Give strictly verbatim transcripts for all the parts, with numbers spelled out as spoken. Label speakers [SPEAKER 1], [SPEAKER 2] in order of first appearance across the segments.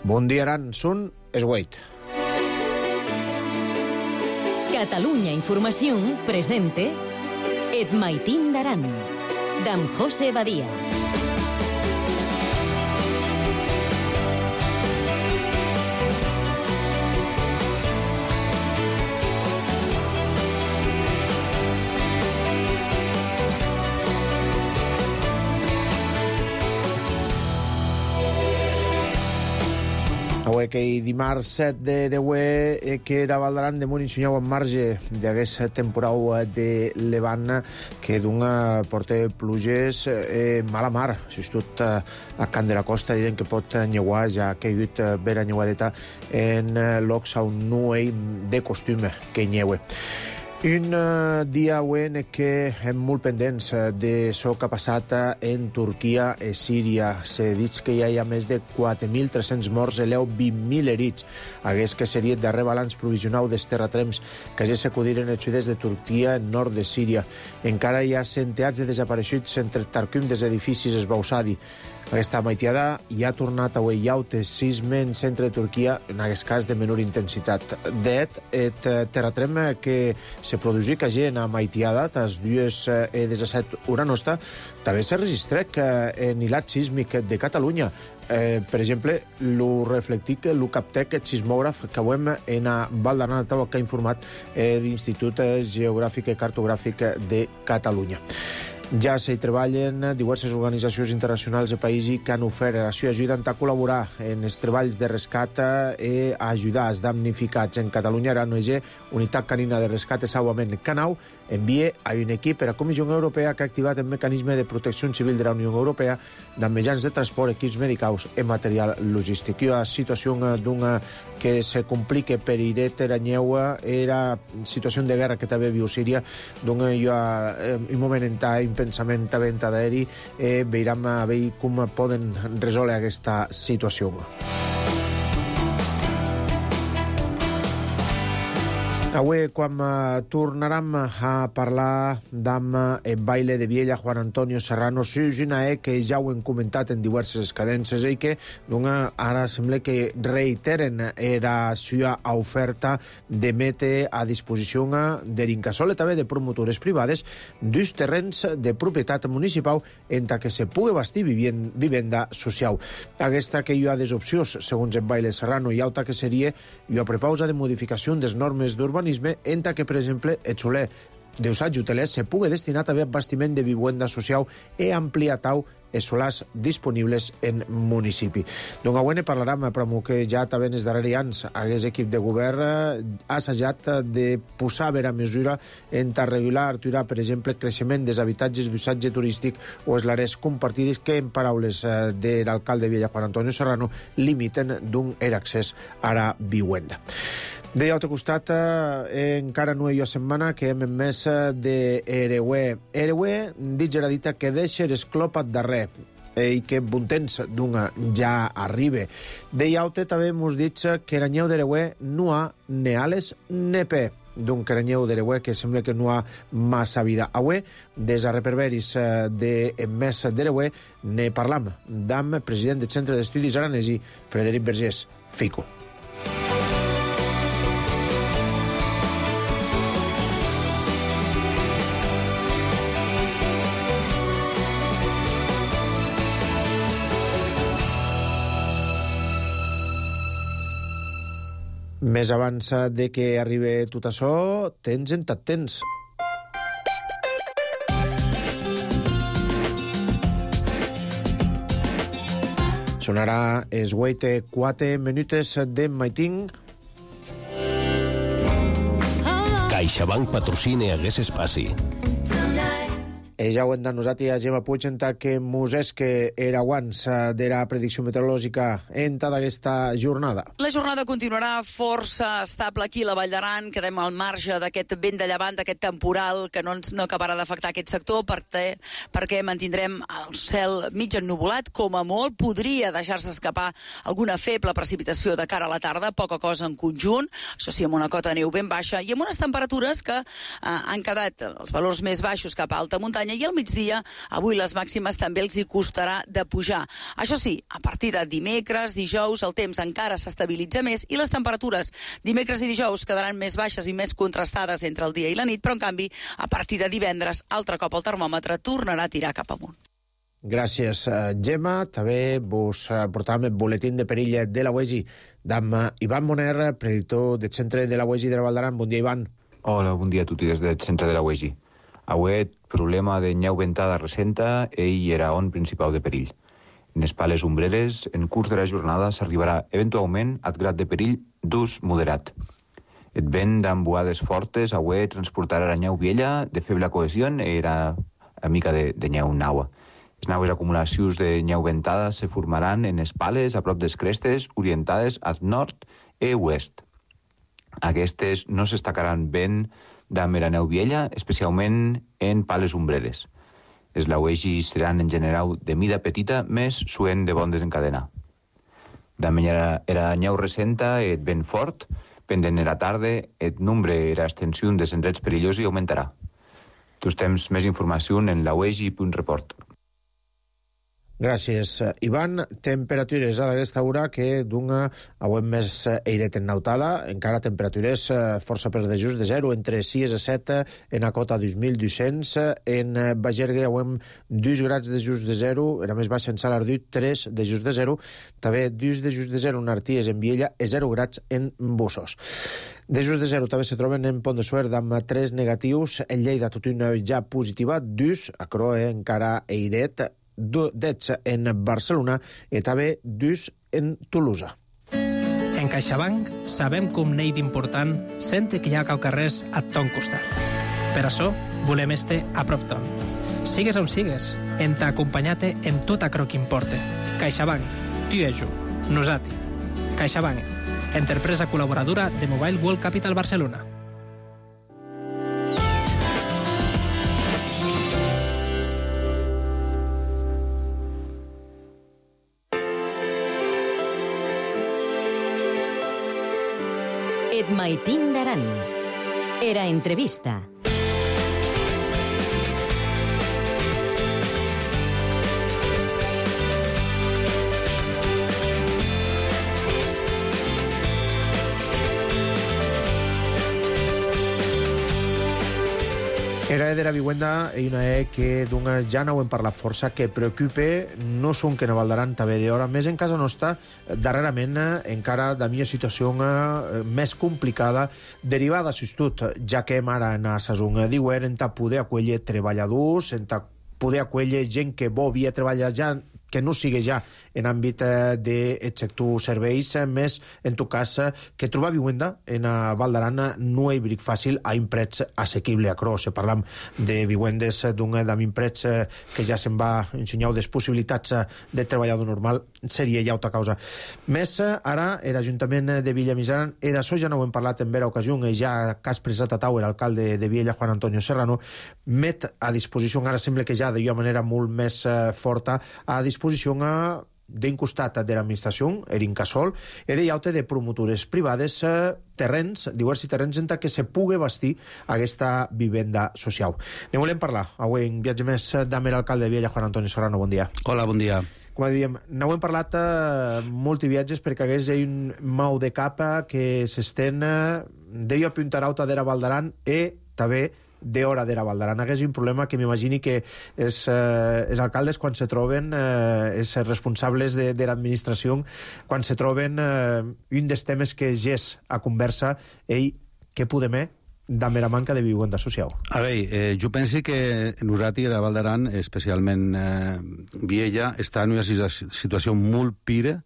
[SPEAKER 1] Bon dia, Aran. Són es vuit.
[SPEAKER 2] Catalunya Informació presente Et Maitín d'Aran, d'en José Badia.
[SPEAKER 1] Avui que dimarts set de Reuer que era Valdaran de Munt ensenyau en marge d'aquesta temporada de Levant que d'una porta pluges eh, mala mar. Just a Can de la Costa diuen que pot nyeuar, ja que hi ha hagut vera nyeuadeta en llocs on no hi de costum que nyeue. Un uh, dia avui en què hem molt pendents de això que ha passat en Turquia i Síria. S'ha dit que ja hi ha més de quatre mil tres-cents morts i vint mil herits. Hagués que seria el darrer balanç provisional dels terratrems que ja s'acudiren al sud-est de Turquia en nord de Síria. Encara hi ha centenars de desapareixuts entre Tarquim dels edificis esbauçadi. Aquesta maitiada ja ha tornat a Weyaut, sisme en centre de Turquia, en aquest cas de menor intensitat. D'et, el terratrem que se produïa que gent a maitiada, tas dues e disset hora nostra, també s'ha registrat en hilat sísmic de Catalunya. Eh, per exemple, lo reflectic, lo captec, el sismògraf que avui en a Val d'Aran que ha informat eh, l'Institut Geogràfic i Cartogràfic de Catalunya. Ja s'hi treballen diverses organitzacions internacionals i països que han ofert la seva ajuda a col·laborar en els treballs de rescat i a ajudar els damnificats. En Catalunya, la O N G Unitat Canina de Rescat i Salvament Canau envia a un equip per a la Comissió Europea que ha activat el mecanisme de protecció civil de la Unió Europea de mitjans de transport, equips medicals i material logístic. La situació d'una que se complica per Iret Eranyeu era situació de guerra que també viu Síria, d'on hi ha un moment en temps pensament a venda d'aeri, eh, veurem a veure com poden resoldre aquesta situació. Avui, quan uh, tornarem a parlar d'amb el baile de Viella, Juan Antonio Serrano, és una e que ja ho hem comentat en diverses cadències i que una, ara sembla que reiteren la seva oferta de mete a disposició de l'Incasol i també de promotores privades dos terrenys de propietat municipal en què se pugui bastir vivenda social. Aquesta que hi ha des opcions, segons el baile Serrano, hi ha altra que seria una prepausa de modificació des normes d'urbanisme en que, per exemple, el soler d'usatge hoteler se pugui destinar també a bastiment de vivenda social i ampliar tau els solars disponibles en municipi. Donc avui ne parlarem, però que ja també en els darrers anys aquest equip de govern ha assajat de posar a mesura en regular, aturar, per exemple, creixement dels habitatges d'usatge turístic o els àrees compartides que, en paraules de l'alcalde de Viella, Juan Antonio Serrano, limiten d'un accés a la vivenda. De l'altre costat, eh, encara no hi ha setmana que hem emès de Reuer. Reuer, dit ja dita, que deixa l'esclopat darrer i que bon temps d'una ja arriba. De l'altre també hem dit que Eranyeu de Reuer no ha ne ales ne pe. D'un Eranyeu de Reuer que sembla que no ha massa vida. Avui, des a reperberis de mes de Reuer, ne parlam d'amb president del Centre d'Estudis Aranesi, Frederic Vergés, Fico. Més abans de que arribi tot això, tens en tot temps. Sonarà els vuit quatre minuts de Maitín.
[SPEAKER 3] CaixaBank patrocina aquest espai.
[SPEAKER 1] I ja ho hem denosat a Gemma Puig que mos és que era abans de la predicció meteorològica en tota aquesta jornada.
[SPEAKER 4] La jornada continuarà força estable aquí a la Vall d'Aran. Quedem al marge d'aquest vent de llevant, d'aquest temporal que no ens no acabarà d'afectar aquest sector perquè, perquè mantindrem el cel mig ennuvolat. Com a molt podria deixar-se escapar alguna feble precipitació de cara a la tarda, poca cosa en conjunt, això sí, amb una cota de neu ben baixa i amb unes temperatures que eh, han quedat els valors més baixos cap a alta muntanya, Muntanya, i al migdia avui les màximes també els hi costarà de pujar. Això sí, a partir de dimecres, dijous, el temps encara s'estabilitza més i les temperatures dimecres i dijous quedaran més baixes i més contrastades entre el dia i la nit, però en canvi, a partir de divendres, altre cop el termòmetre tornarà a tirar cap amunt.
[SPEAKER 1] Gràcies, Gemma. També vos portàvem el boletín de perill de la U E G I d'amb Ivan Moner, predictor del centre de la U E G I de la Val d'Aran. Bon dia, Ivan.
[SPEAKER 5] Hola, bon dia a tutti des del centre de la U E G I. Avui, problema de nyau ventada recenta i era on principal de perill. En les pales ombreres, en curs de la jornada s'arribarà eventualment al grad de perill d'ús moderat. El vent d'embuades fortes avui transportarà la nyau viella de feble cohesió i era a mica de, de nyau naua. Les naues acumulacions de nyau ventada se formaran en les pales a prop des crestes orientades al nord i oest. Aquestes no s'estacaran ben d'amb la neu viella, especialment en pales ombreres. Els lauegis seran en general de mida petita, més suent de bon desencadenar. D'amb era nyau recenta et vent fort, pendent era tarda, et nombre era extensió de endrets perillosi augmentarà. Tus temps més informació en lauegi punt report.
[SPEAKER 1] Gràcies, Ivan. Temperatures a aquesta hora que d'una avui més airet en nautada, encara temperatures força per de just de zero, entre sis i set en a cota dos mil dos-cents, en Bagergue avui dos grads de just de zero, era més baixa en Salardut, tres de just de zero, també dos de just de zero en Arties, en Viella, i zero grads en Bussos. De just de zero també se troben en Pont de Suert amb tres negatius, en Lleida tot una ja positiva, dos, a Croe encara airet, dotze en Barcelona i també dos en Tolosa.
[SPEAKER 6] En CaixaBank sabem que un nei d'important sente que hi ha caucarrers a ton costat. Per això volem este a prop ton. Sigues on sigues, en t'acompanyate en tot acro que importe. CaixaBank, tu i jo, nosati. CaixaBank, empresa col·laboradora de Mobile World Capital Barcelona.
[SPEAKER 2] Et Maitín d'Aran. Era entrevista.
[SPEAKER 1] Era de la vivienda i una E que d'una ja no ho hem parlat força, que preocupe no són que no valdaran també d'hora, més en casa nostra, darrerament encara de mi situació més complicada, derivada, s'estut, ja que hem ara en la saison d'hivern, en ta poder acollir treballadors, en ta poder acollir gent que vol via treballar ja, que no sigui ja en àmbit del sector serveis, més en tot cas que trobar vivienda en a Val d'Aran no és bric fàcil a un prets assequible a Cro. Se parlam de vivendes d'un d'un prets que ja se'n va ensenyar les possibilitats de treballador normal, seria ja altra causa. Més ara, l'Ajuntament de Villamissaran, i d'això ja no ho hem parlat en vera ocasió, i ja que ha expressat a Tauer, alcalde de Viella, Juan Antonio Serrano, met a disposició, ara sembla que ja d'una manera molt més forta, a disposició d'un costat de l'administració, l'Incasol, i de llaute de promotores privades, terrenys, diversos terrenys en què se pugui bastir aquesta vivenda social. Ne volem parlar avui en viatge més d'Amer, alcalde de Viella, Juan Antonio Serrano. Bon dia.
[SPEAKER 7] Hola, bon dia.
[SPEAKER 1] Com diem, no hem parlat eh, molt de viatges perquè hagués un mau de capa que s'estén eh, d'ello a Punta Rauta de la Val d'Aran i també d'hora de la Val d'Aran. Hagués un problema que m'imagini que els, eh, els alcaldes quan se troben, eh, els responsables de, de l'administració, quan se troben eh, un dels temes que és a conversa, ell, què podem fer d'amb la manca de vivenda social?
[SPEAKER 7] A veure, eh, jo penso que nosaltres a la Val d'Aran, especialment eh, Viella, està en una situació molt pira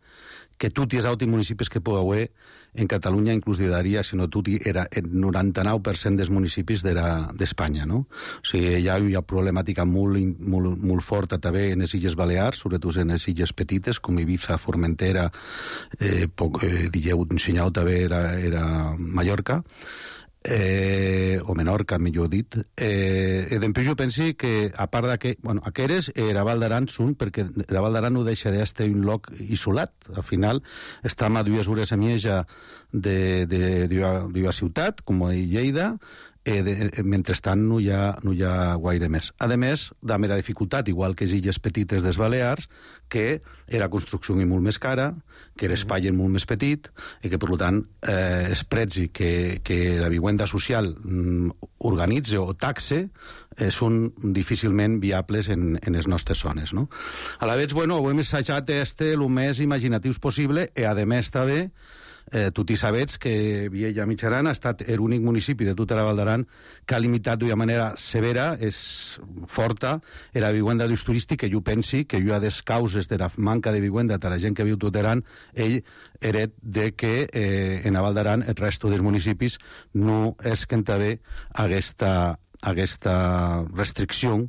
[SPEAKER 7] que tots els altres municipis que puc haver en Catalunya, inclús diria, si no tot era el noranta-nou per cent dels municipis d'Espanya, no? O sigui, hi ha una problemàtica molt, molt, molt forta també en les Illes Balears, sobretot en les illes petites, com Ibiza, Formentera, eh, poc, eh, digueu, ensenyau també era, era Mallorca, eh, o Menorca, millor dit. Eh, I després jo penso que, a part d'aquest, bueno, aquestes, eh, la Val d'Aran són, perquè la Val d'Aran no deixa d'estar un lloc isolat. Al final, estem a dues hores a mitja d'una ciutat, com Lleida, eh, de, mentrestant no hi, ha, no hi ha gaire més. A més, de mera dificultat, igual que les illes petites des Balears, que era construcció molt més cara, que era espai molt més petit, i que, per tant, eh, es prezi que, que la vivenda social mm, organitze o taxe eh, són difícilment viables en, en les nostres zones. No? A la vegada, bueno, ho hem assajat este el més imaginatius possible, i a més també Eh, tu t'hi sabets que Viella Mitjaran ha estat l'únic municipi de tota la Val d'Aran que ha limitat d'una manera severa, és forta, la vivenda d'ús turístic, que jo pensi que jo ha des causes de la manca de vivenda de la gent que viu tot Aran, ell heret de que eh, en la Val d'Aran el resto dels municipis no és que en també aquesta aquesta restricció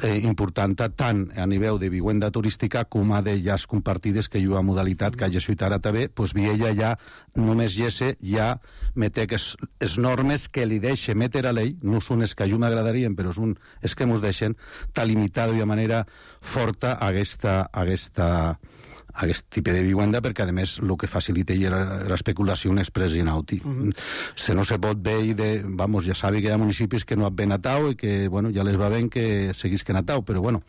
[SPEAKER 7] eh, important tant a nivell de vivenda turística com a de llars compartides que hi ha modalitat que hagi suït ara també, doncs Viella ja només gesse, ja mete que les normes que li deixa meter a l'ell, no són les que a jo m'agradarien, però són les que ens deixen, t'ha limitat d'una manera forta aquesta, aquesta, aquest tipus de vivenda, perquè a més el que facilita l'especulació és presinauti. Mm-hmm. Se no se pot veure, de, vamos, ja sabe que hi ha municipis que no han ben atau i que, bueno, ja les va ben que seguís que atau, però, bueno,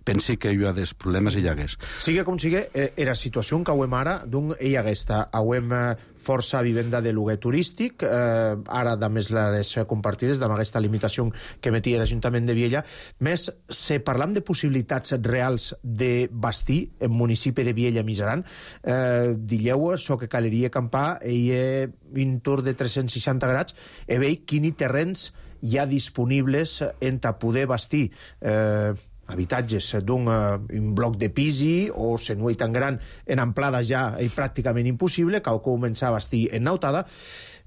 [SPEAKER 7] pensi que hi ha des problemes i hi hagués.
[SPEAKER 1] Sigue com sigue, eh, era situació que ho hem ara, d'un hi haguesta, ho hem força vivenda de lloguer turístic, eh, ara, de més, les compartides, amb aquesta limitació que metia l'Ajuntament de Viella. Més, se parlam de possibilitats reals de bastir en municipi de Viella Mitjaran, eh, dilleu, so que caleria acampar, hi ha un tour de tres-cents seixanta grads, i veig quini terrenys hi ha disponibles en ta poder bastir eh, habitatges d'un uh, un bloc de pisi o senuei tan gran en amplada ja és pràcticament impossible, cal començar a bastir en nautada,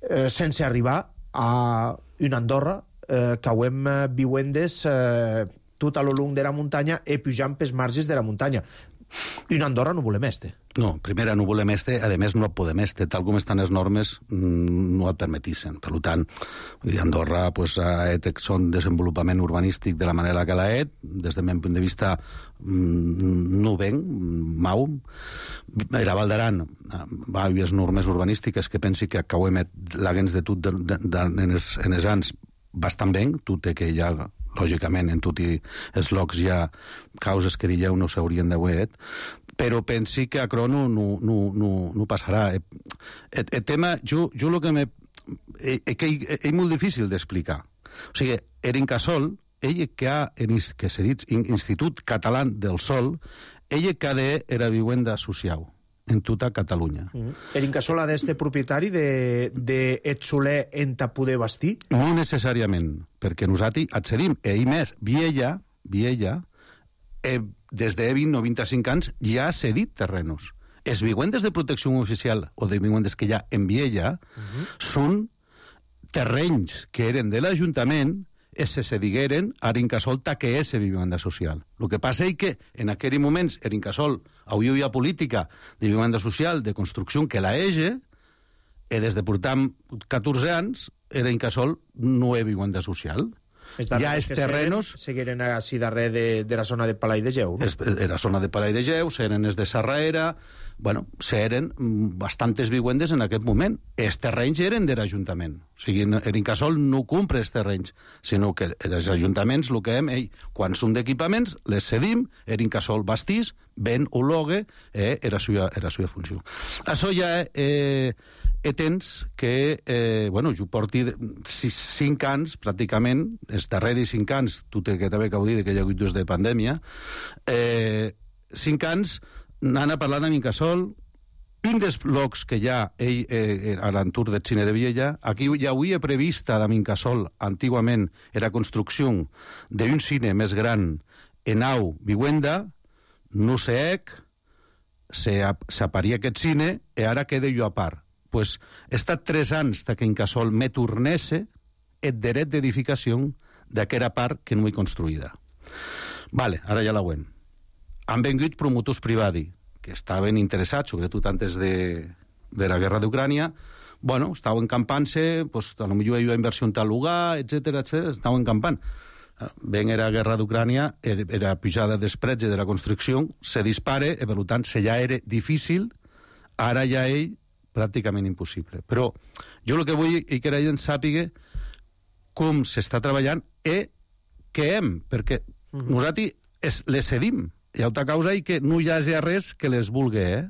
[SPEAKER 1] eh, sense arribar a una Andorra eh, que hem vivendes eh, tot a lo long de la muntanya i pujant pels marges de la muntanya. Una Andorra no volem este.
[SPEAKER 7] No, primera no volem este, a més no podem este, tal com estan les normes no et permetissen. Per tant, Andorra pues, ha et son desenvolupament urbanístic de la manera que l'ha et, des del meu punt de vista no ven, mau. La Val d'Aran va haver les normes urbanístiques que pensi que acabem l'haguens de tot de, de, de, en, els, en els anys bastant ben, tot i que ja lògicament en tots els llocs hi ha causes que dieu no s'haurien d'haver, però pensi que a Crono no, no, no, no passarà. El, el tema, jo, jo el que me... És que és molt difícil d'explicar. O sigui, l'Incasòl, ell que ha, que se dit Institut Català del Sol, ell que ha de era vivenda social en tota Catalunya.
[SPEAKER 1] Mm. L'Incasòl ha d'este propietari de, de et soler en ta poder bastir?
[SPEAKER 7] No necessàriament, perquè nosaltres accedim, i més, Viella, Viella, eh, des de vint o vint-i-cinc anys ja ha cedit terrenos. Els vivendes de protecció oficial o de vivendes que hi ha en Viella uh-huh. són terrenys que eren de l'Ajuntament i se cedigueren a l'Incasòl que és vivenda social. El que passa és que en aquell moment l'Incasòl avui hi ha política de vivenda social, de construcció que la ege, i des de portar catorze anys l'Incasòl no és vivenda social. Ja els terrenos...
[SPEAKER 1] Seguiren així darrere de, de la zona de Palai de Geu, no?
[SPEAKER 7] Es, la zona de Palai de Geu, s'eren els de Sarraera... Bueno, s'eren bastantes vivendes en aquest moment. Els terrenys eren de l'Ajuntament. O sigui, l'Incasòl no compra els terrenys, sinó que els ajuntaments, el que hem, ei, quan són d'equipaments, les cedim, l'Incasòl bastís, ven o logue, eh, era la seva, era la seva funció. Això ja eh, eh, tens que, eh, bueno, jo porti sis, cinc anys, pràcticament, els darreres cinc anys, tu que també acabo de dir que hi ha hagut dos de pandèmia, eh, cinc anys anant a parlar amb Incasòl, un dels blocs que hi ha ell, eh, a l'entorn del cine de Viella, aquí ja havia prevista amb Incasòl, antigament, era construcció d'un cine més gran en nau vivenda, no sé ec, s'aparia aquest cine, i ara queda jo a part. Pues, he estat tres anys que Incasòl me tornesse el dret d'edificació d'aquella part que no he construïda. Vale, ara ja la veiem. Han vengut promotors privats que estaven interessats, sobretot antes de, de la guerra d'Ucrània, bueno, estaven campant-se, pues, a lo millor hi ha inversió en tal lugar, etcètera, etcètera, estaven campant. Ben era la guerra d'Ucrània, era pujada d'espretge de la construcció, se dispare, i per tant, se ja era difícil, ara ja ell, pràcticament impossible. Però jo el que vull és que la gent sàpiga com s'està treballant e que hem, perquè uh -huh. nosaltres es, les cedim. Hi ha altra causa i que no hi hagi res que les vulgui, eh?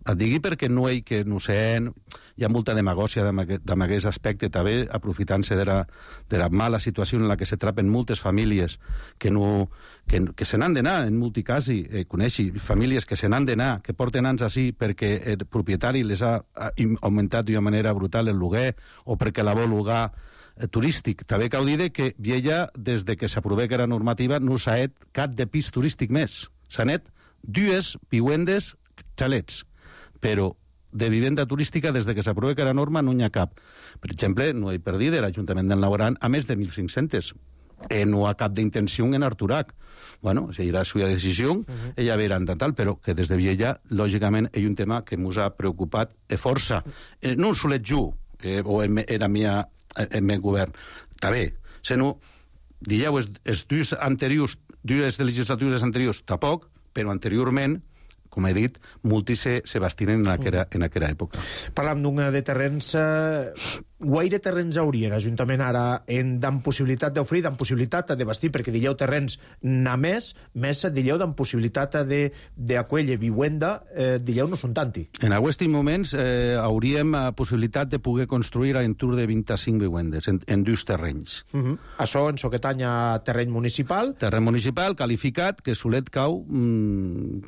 [SPEAKER 7] Et digui perquè no hi que no sé, hi ha molta demagògia amb aquest aspecte, també aprofitant-se de, la, de la mala situació en la que se trapen moltes famílies que, no, que, que se n'han d'anar, en molti casi, eh, coneixi famílies que se n'han d'anar, que porten anys així perquè el propietari les ha, ha augmentat d'una manera brutal el lloguer o perquè la vol llogar eh, turístic. També cal dir que Viella, des de que s'aprovà que era normativa, no s'ha fet cap de pis turístic més. S'han fet dues vivendes xalets, però de vivenda turística, des de que s'aprova que era norma, no n'hi ha cap. Per exemple, no he perdit l'Ajuntament del Navarran a més de mil cinc-cents. Eh, no ha cap d'intenció en Arturac. Bueno, si era la seva decisió, uh -huh. ella verà en tal, però que des de Viella, lògicament, hi ha un tema que ens ha preocupat de força. Eh, no solet jo, eh, o en, en, mia, en meu govern, també, sinó, dieu, els, els dues anteriors, dues legislatures anteriors, tampoc, però anteriorment, com he dit, molti se, se bastinen en aquella, en aquella època.
[SPEAKER 1] Parlam d'un de terrenys... Eh, guaire terrenys hauria l'Ajuntament ara en d'en possibilitat d'oferir, d'en possibilitat de bastir, perquè dilleu terrenys n'ha més, més dilleu d'en possibilitat d'aquella viuenda, eh, dilleu no són tanti.
[SPEAKER 7] En aquests moments eh, hauríem la possibilitat de poder construir a l'entorn de vint-i-cinc vivendes en, en dos terrenys.
[SPEAKER 1] Uh -huh. Això en Soquetany a terreny municipal.
[SPEAKER 7] Terreny municipal, qualificat, que solet cau mmm,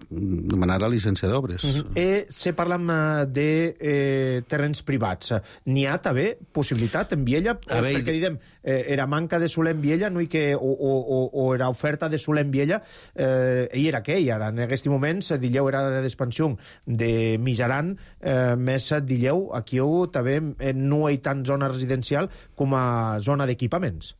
[SPEAKER 7] demanar la llicència d'obres. Uh -huh.
[SPEAKER 1] eh, se parlam de eh, terrenys privats. N'hi ha també possibilitat en Viella? O, perquè diguem, eh, era manca de soler en Viella, no hi que, o, o, o era oferta de soler en Viella, eh, ell era què? Ara, en aquests moments, dilleu era d'expansió de Mijaran, eh, més dilleu, aquí també eh, no hi ha tant zona residencial com a zona d'equipaments.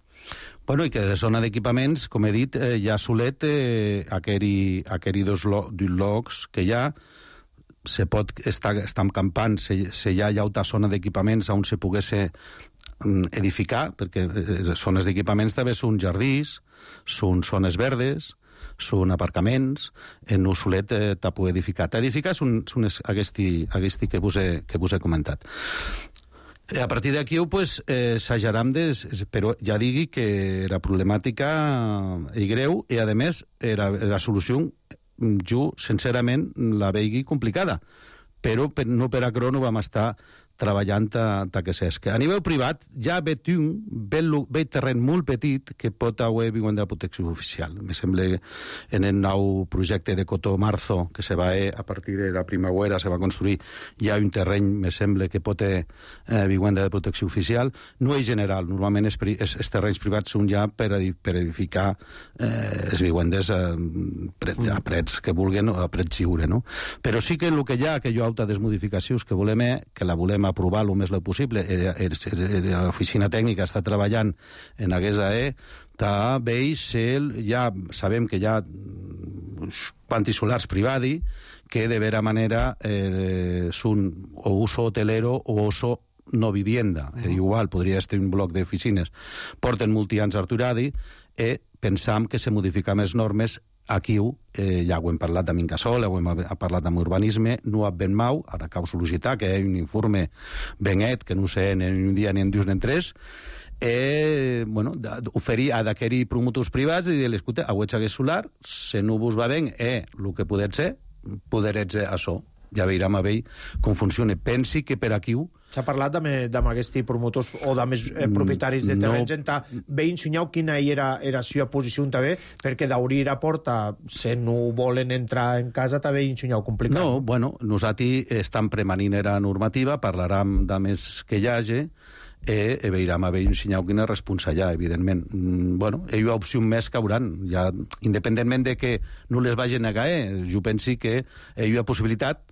[SPEAKER 7] Bueno, i que de zona d'equipaments, com he dit, eh, hi ha solet eh, aqueri, aqueri dos, lo, dos locs que hi ha, se pot estar, estar campant, se, se hi ha altra zona d'equipaments on se pogués edificar, perquè eh, zones d'equipaments també són jardins, són zones verdes, són aparcaments, en un solet eh, t'ha edificat. Edificar són, són aquesti, aquesti que, vos he, que vos he comentat. A partir d'aquí, pues, eh, s'ajaram des... Però ja digui que la problemàtica és greu i, a més, la, la solució, jo, sincerament, la veigui complicada. Però per, no per acrò no vam estar treballant a, a que s'esca. A nivell privat, ja ve un ve terreny molt petit que pot haver viuen de la protecció oficial. Me sembla en el nou projecte de Cotó Marzo, que se va a partir de la primavera, se va construir, hi ha un terreny, me sembla, que pot haver eh, viuen de protecció oficial. No és general, normalment els, els, els terrenys privats són ja per, per edificar eh, els vivendes a, a prets que vulguen, a prets lliure, no? Però sí que el que hi ha, que hi ha altres modificacions que volem és, que la volem aprovar el més possible. L'oficina tècnica està treballant en aquesta E, també ja sabem que hi ha pantis solars privats que de vera manera eh, són o uso hotelero o uso no vivienda. Uh -huh. Igual podria ser un bloc d'oficines. Porten multi-anys arturadi i pensam que se modifiquen les normes. Aquí eh, ja ho hem parlat amb Incasol, ho hem parlat amb urbanisme, no amb ben mau, ara cal sol·licitar que hi ha un informe benet, que no sé ni un dia ni en dos ni en tres, eh, bueno, oferir a d'aquests promotors privats i dir, escolta, a hagués solar, si no vos va bé, eh, el que poder ser, poder ser això. Ja veurem a veure com funciona. Pensi que per aquí...
[SPEAKER 1] S'ha parlat amb, amb aquests promotors o amb els eh, propietaris de terrenys no. en bé ensenyau quina era, era la seva posició també, perquè d'obrir la porta, si no volen entrar en casa, també ensenyau complicat.
[SPEAKER 7] No, bueno, nosaltres estem premanint la normativa, parlarem de més que hi hagi, e, e veurem a veure ensenyau quina responsa hi ha, evidentment. Mm, bueno, hi ha opció més que hauran, ja, independentment de que no les vagi a negar, eh, jo pensi que hi ha possibilitat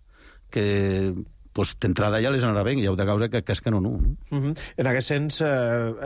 [SPEAKER 7] que pues, d'entrada ja les anarà bé, hi ha de causa que, que és que no, no. no?
[SPEAKER 1] Uh -huh. En aquest sens, eh,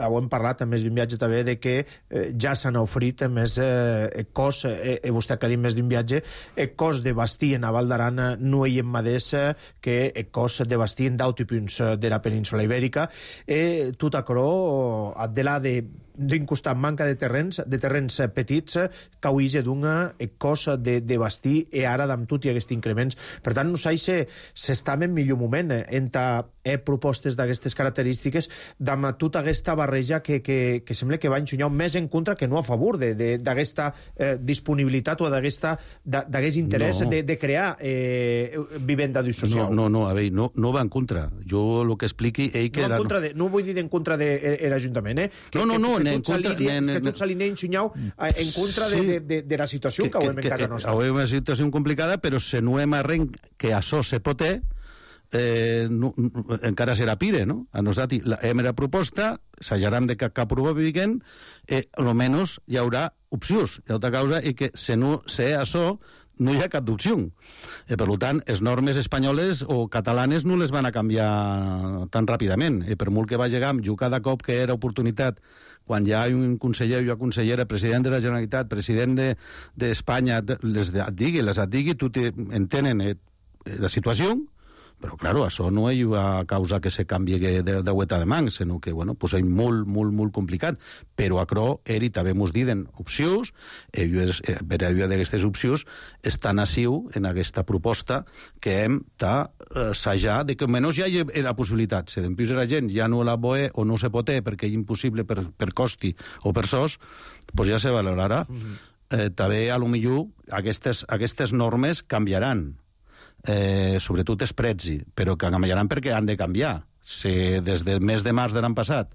[SPEAKER 1] ho hem parlat més d'un viatge també, de que eh, ja s'han ofrit més eh, cos, eh, eh, vostè que ha dit més d'un viatge, el cos de bastir en a Val d'Aran no hi ha mateix que el cos de bastir en d'altres punts de la península Ibèrica. Eh, tot acrò, de la de d'un costat manca de terrenys, de terrenys petits, que huïge d'una cosa de, de bastir, i ara d'amb tot i aquests increments. Per tant, no sé si s'està en millor moment entre eh, propostes d'aquestes característiques, d'amb tota aquesta barreja que, que, que sembla que va enxunyar més en contra que no a favor d'aquesta eh, disponibilitat o d'aquest interès no. de, de crear eh, vivenda d'ús social.
[SPEAKER 7] No, no, no, a veure, no, no va en contra. Jo el que expliqui... Ell que
[SPEAKER 1] no,
[SPEAKER 7] era...
[SPEAKER 1] en contra de, no vull dir en contra de l'Ajuntament, eh? Que,
[SPEAKER 7] no, no, no,
[SPEAKER 1] que, que,
[SPEAKER 7] en contra...
[SPEAKER 1] Que tots s'alineen enxunyau en contra de, de, de, de la situació que, que, que ho hem en casa nostra.
[SPEAKER 7] Ho hem una situació complicada, però se no hem arrenc que això se pot eh, no, encara serà pire, no? A nosaltres la hem la proposta, s'ajaram de que cap probablement, eh, almenys hi haurà opcions. Hi ha altra causa i que se no sé això no hi ha cap d'opció. Eh, per tant, les normes espanyoles o catalanes no les van a canviar tan ràpidament. Eh, per molt que va llegar, jo cada cop que era oportunitat, quan hi ha un conseller o una consellera, president de la Generalitat, president d'Espanya, de, de les et digui, les et digui, tu entenen eh, la situació, però, claro, això no hi va causar que se canvi de, de hueta de mans, sinó que, bueno, pues és molt, molt, molt complicat. Però acro, eri també mos diden opcions, i per a d'aquestes opcions estan assiu en aquesta proposta que hem d'assajar de que almenys hi hagi la possibilitat. Si d'empús la gent ja no la boe o no se pot perquè és impossible per, per costi o per sos, pues ja se valorarà. Mm-hmm. eh, també, a lo millor, aquestes, aquestes normes canviaran. Eh, sobretot els preus, però que canviaran perquè han de canviar. Si des del mes de març de l'any passat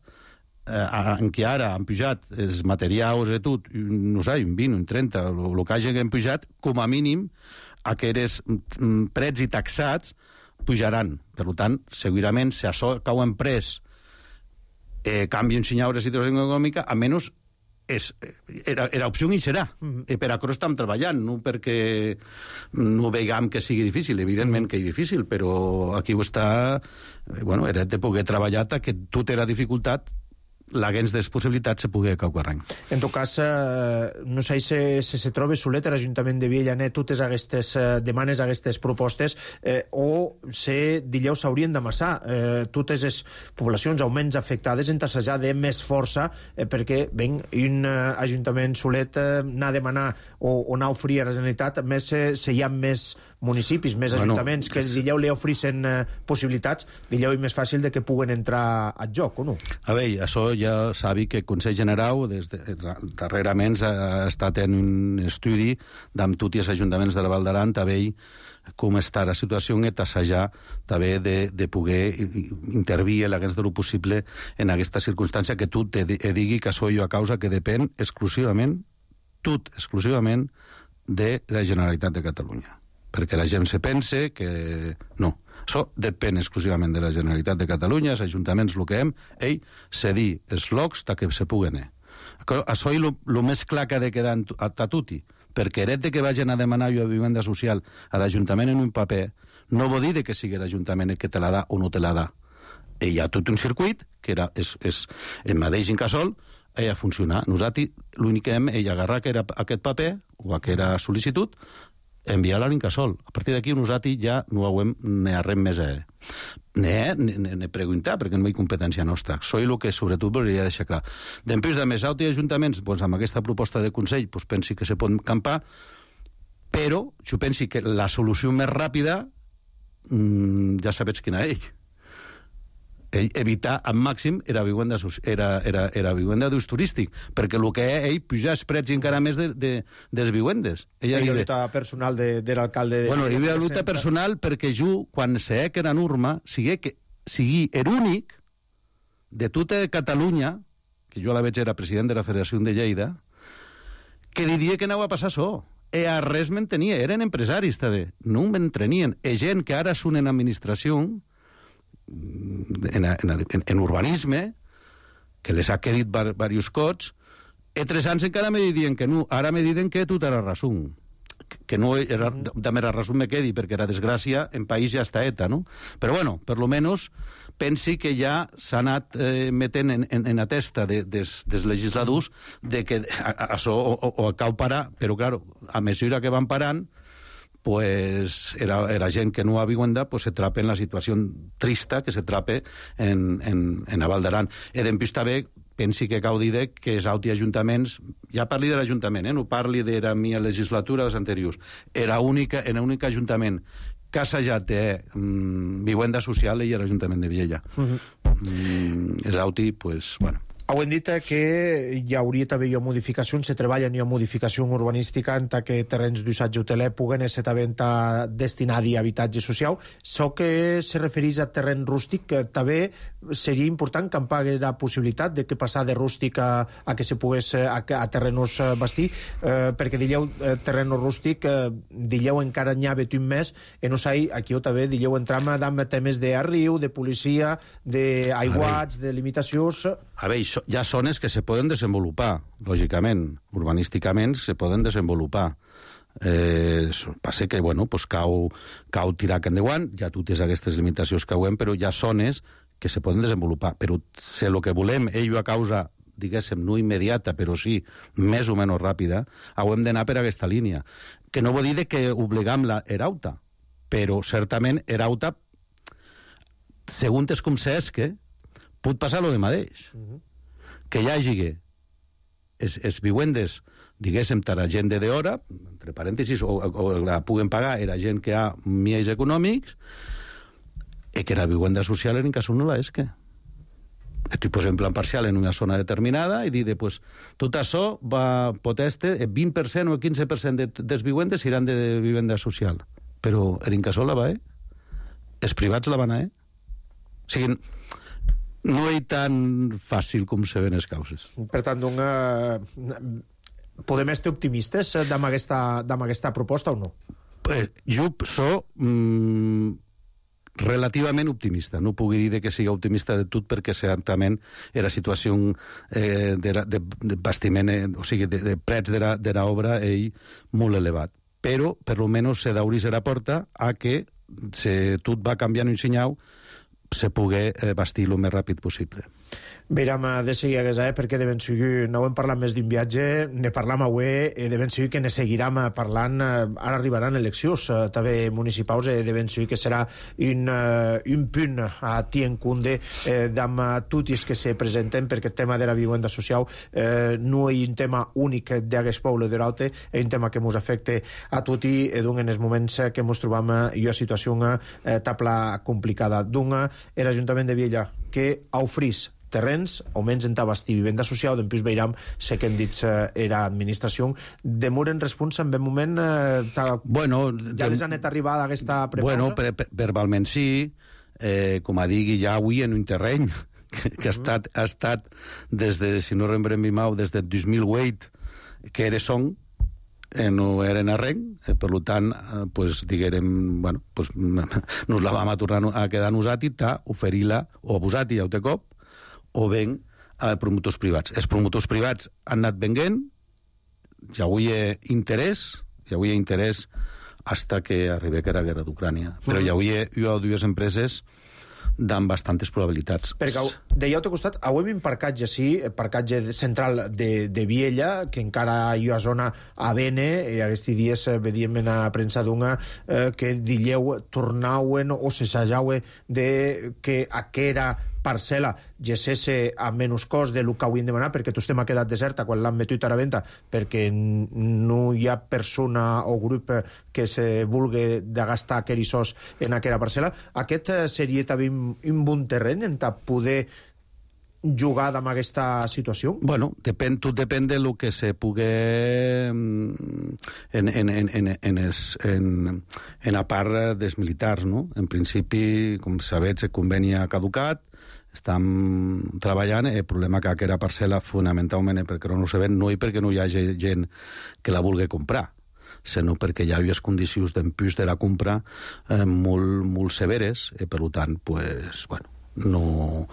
[SPEAKER 7] eh, en què ara han pujat els materials i tot, no sé, un vint, un trenta, el que hagin pujat, com a mínim, aquests preus i taxats pujaran. Per tant, segurament, si això cau en pres eh, canvi un senyal de situació econòmica, almenys és, era, era opció i serà. Mm-hmm. I per això estem treballant, no perquè no veiem que sigui difícil, evidentment que és difícil, però aquí ho està... Bueno, era de poder treballar que tota la dificultat l'haguens de possibilitats se pugui caucarrany.
[SPEAKER 1] En tot cas, eh, no sé si, si se troba solet l'Ajuntament de Villanet totes aquestes eh, demanes, aquestes propostes, eh, o si, dilleu, s'haurien d'amassar eh, totes les poblacions augments afectades en tassejar de més força, eh, perquè, ben, un eh, Ajuntament solet eh, anar a demanar o, o anar a oferir a la Generalitat, més eh, si hi ha més municipis, més bueno, ajuntaments que és... dilleu li ofereixen eh, possibilitats, dilleu és més fàcil de que puguen entrar al joc, o no?
[SPEAKER 7] A veure, això ja sabi que el Consell General des de, darrerament ha estat en un estudi d'amb tots els ajuntaments de la Val d'Aran també com està la situació i tassejar també de, de poder intervir l'haguens de lo possible en aquesta circumstància que tu te digui que això jo a causa que depèn exclusivament, tot exclusivament, de la Generalitat de Catalunya. Perquè la gent se pense que no. Això depèn exclusivament de la Generalitat de Catalunya, els ajuntaments el que hem, ell cedir els locs que se puguen. Això és el més clar que ha de quedar a tutti, perquè el que vagin a demanar jo a vivenda social a l'Ajuntament en un paper no vol dir que sigui l'Ajuntament que te la da o no te la da. Hi ha tot un circuit que era, és, és el mateix Incasòl, ella funciona. Nosaltres l'únic que hem és agarrar aquest paper o aquesta sol·licitud, enviar-la a l'Incasòl. A partir d'aquí nosaltres ja no hem ni res més a ne preguntar, perquè no hi ha competència nostra. Soy el que sobretot volia deixar clar. Després de més altres ajuntaments, doncs, amb aquesta proposta de Consell, doncs, pensi que se pot campar, però jo pensi que la solució més ràpida mmm, ja sabets quina és. Evitar al màxim era vivenda, era, era, era vivenda d'ús turístic, perquè el que és ell pujar els preus encara més de, de, de les vivendes.
[SPEAKER 1] Hi havia lluita personal de, de l'alcalde... De
[SPEAKER 7] bueno, hi havia lluita personal perquè jo, quan sé que era norma, sigui, que, sigui l'únic de tota Catalunya, que jo a la veig era president de la Federació de Lleida, que diria que anava a passar això. E a res me'n tenia. Eren empresaris, també. No me'n tenien. E gent que ara són en administració, En, en, en, en urbanisme, que les ha quedat diversos cots, e tres anys encara me diuen que no, ara me diuen que tot era raó, que no era, de mera raó me quedi, perquè la desgràcia en país ja està eta, no? Però bueno, per lo menos pensi que ja s'ha anat eh, metent en, en, en la testa de, des, des legisladors de que això o, o, o cau parar, però claro, a mesura que van parant, pues era, era gent que no ha vivenda, pues se trape en la situació trista que se trape en, en, en la Val d'Aran. E d'empús també pensi que cau dir que els auti ajuntaments, ja parli de l'Ajuntament, eh? No parli de la mia legislatura dels anteriors, era única, en l'únic ajuntament que ha assajat de mm, vivenda social i l'Ajuntament de Viella. Uh-huh. mm, els auti, pues, bueno...
[SPEAKER 1] Heu dit que hi hauria també modificacions, se treballa en modificació urbanística en que terrenys d'usatge hoteler puguen ser també destinats a habitatge social. So que se refereix a terreny rústic, que també seria important que em pagui la possibilitat de que passar de rústic a, a que se pogués a, a terrenos bastir, eh, perquè dilleu eh, terreno rústic, eh, dilleu encara n'hi ha un més, i no sé, aquí també dilleu entram amb temes d'arriu, de policia, d'aiguats, de limitacions...
[SPEAKER 7] A veure, hi ha zones que se poden desenvolupar, lògicament, urbanísticament se poden desenvolupar. Eh, passa que, bueno, pues cau, cau tirar que endavant, ja totes aquestes limitacions que hem, però hi ha zones que se poden desenvolupar. Però si el que volem, ell a causa, diguéssim, no immediata, però sí més o menys ràpida, hem d'anar per aquesta línia. Que no vol dir que obligam la Erauta, però certament Erauta, segons com s'esque, pot passar lo de mateix. Uh-huh. Que hi hagi es, es vivendes, diguéssim, per a gent de hora, entre parèntesis, o, o la puguen pagar era gent que ha miels econòmics, i que la vivenda social en cas no la és que. Estic posant en plan parcial en una zona determinada i dir, pues, tot això va poteste, el vint per cent o el quinze per cent de, dels vivendes seran de vivenda social. Però en Incasòl la va, eh? Els privats la van, eh? O sigui, no és tan fàcil com se ven les causes.
[SPEAKER 1] Per tant, una... podem estar optimistes amb aquesta, amb aquesta proposta o no?
[SPEAKER 7] Eh, jo soc mm, relativament optimista. No puc dir que sigui optimista de tot perquè certament era situació eh, de, de, de bastiment, eh, o sigui, de, de prets de l'obra ell molt elevat. Però, per almenys, se d'obrir la porta a que se, tot va canviant un senyal se pugui eh, bastir el més ràpid possible.
[SPEAKER 1] Veiram de seguir a Gaza, perquè de ben seguir no hem parlat més d'un viatge, ne parlam avui, de ben seguir que ne seguiram parlant, ara arribaran eleccions també municipals, de ben seguir que serà un, un punt a tien cunde d'amb tots que se presenten, perquè el tema de la vivenda social eh, no és un tema únic d'aquest poble de l'Aute, és un tema que ens afecta a tots i d'un en els moments que ens trobam en una situació eh, tabla complicada. D'un, l'Ajuntament de Viella que ofrís terrens, auments en tabastir vivenda social, d'empús veiram, sé que hem dit eh, era administració, demoren responsa en ben moment, eh, ta...
[SPEAKER 7] bueno,
[SPEAKER 1] ja les han arribat a aquesta prepausa?
[SPEAKER 7] Bueno, per, per, verbalment sí, eh, com a digui ja avui en un terreny que, que ha, estat, ha estat des de, si no rembrem mi mau, des del dos mil vuit, que era son, eh, no eren arrenc, eh, per tant, eh, pues, diguérem, bueno, pues, nos la vam a tornar a quedar nosaltres, ta, oferir-la, o abusat i ja ho té cop, o ben a promotors privats. Els promotors privats han anat venguent, ja avui hi ha interès, ja avui hi ha interès hasta que arribi que era la guerra d'Ucrània. Però ja avui hi ha dues empreses amb bastantes probabilitats.
[SPEAKER 1] Perquè d'allà al teu costat, avui un parcatge, sí, el parcatge central de, de Viella, que encara hi ha zona a Bene, i aquests dies vedíem en la premsa d'una eh, que dilleu tornauen o se sajaue de que aquera parcel·la gessesse a menys cost del que hauríem demanat, perquè tot estem ha quedat deserta quan l'han metut a la venda, perquè no hi ha persona o grup que se vulgui de gastar aquells en aquella parcel·la. Aquest seria també un bon terreny en poder jugar amb aquesta situació?
[SPEAKER 7] Bueno, depèn, tot depèn de lo que se pugui en, en, en, en, en, es, en, en la part dels militars, no? En principi, com sabeu, el conveni ha caducat, estem treballant, el problema que aquella parcel·la fonamentalment perquè no ho sabem, no és perquè no hi hagi gent que la vulgui comprar, sinó perquè hi ha unes condicions d'empús de la compra eh, molt, molt severes, i per tant, pues, bueno, no,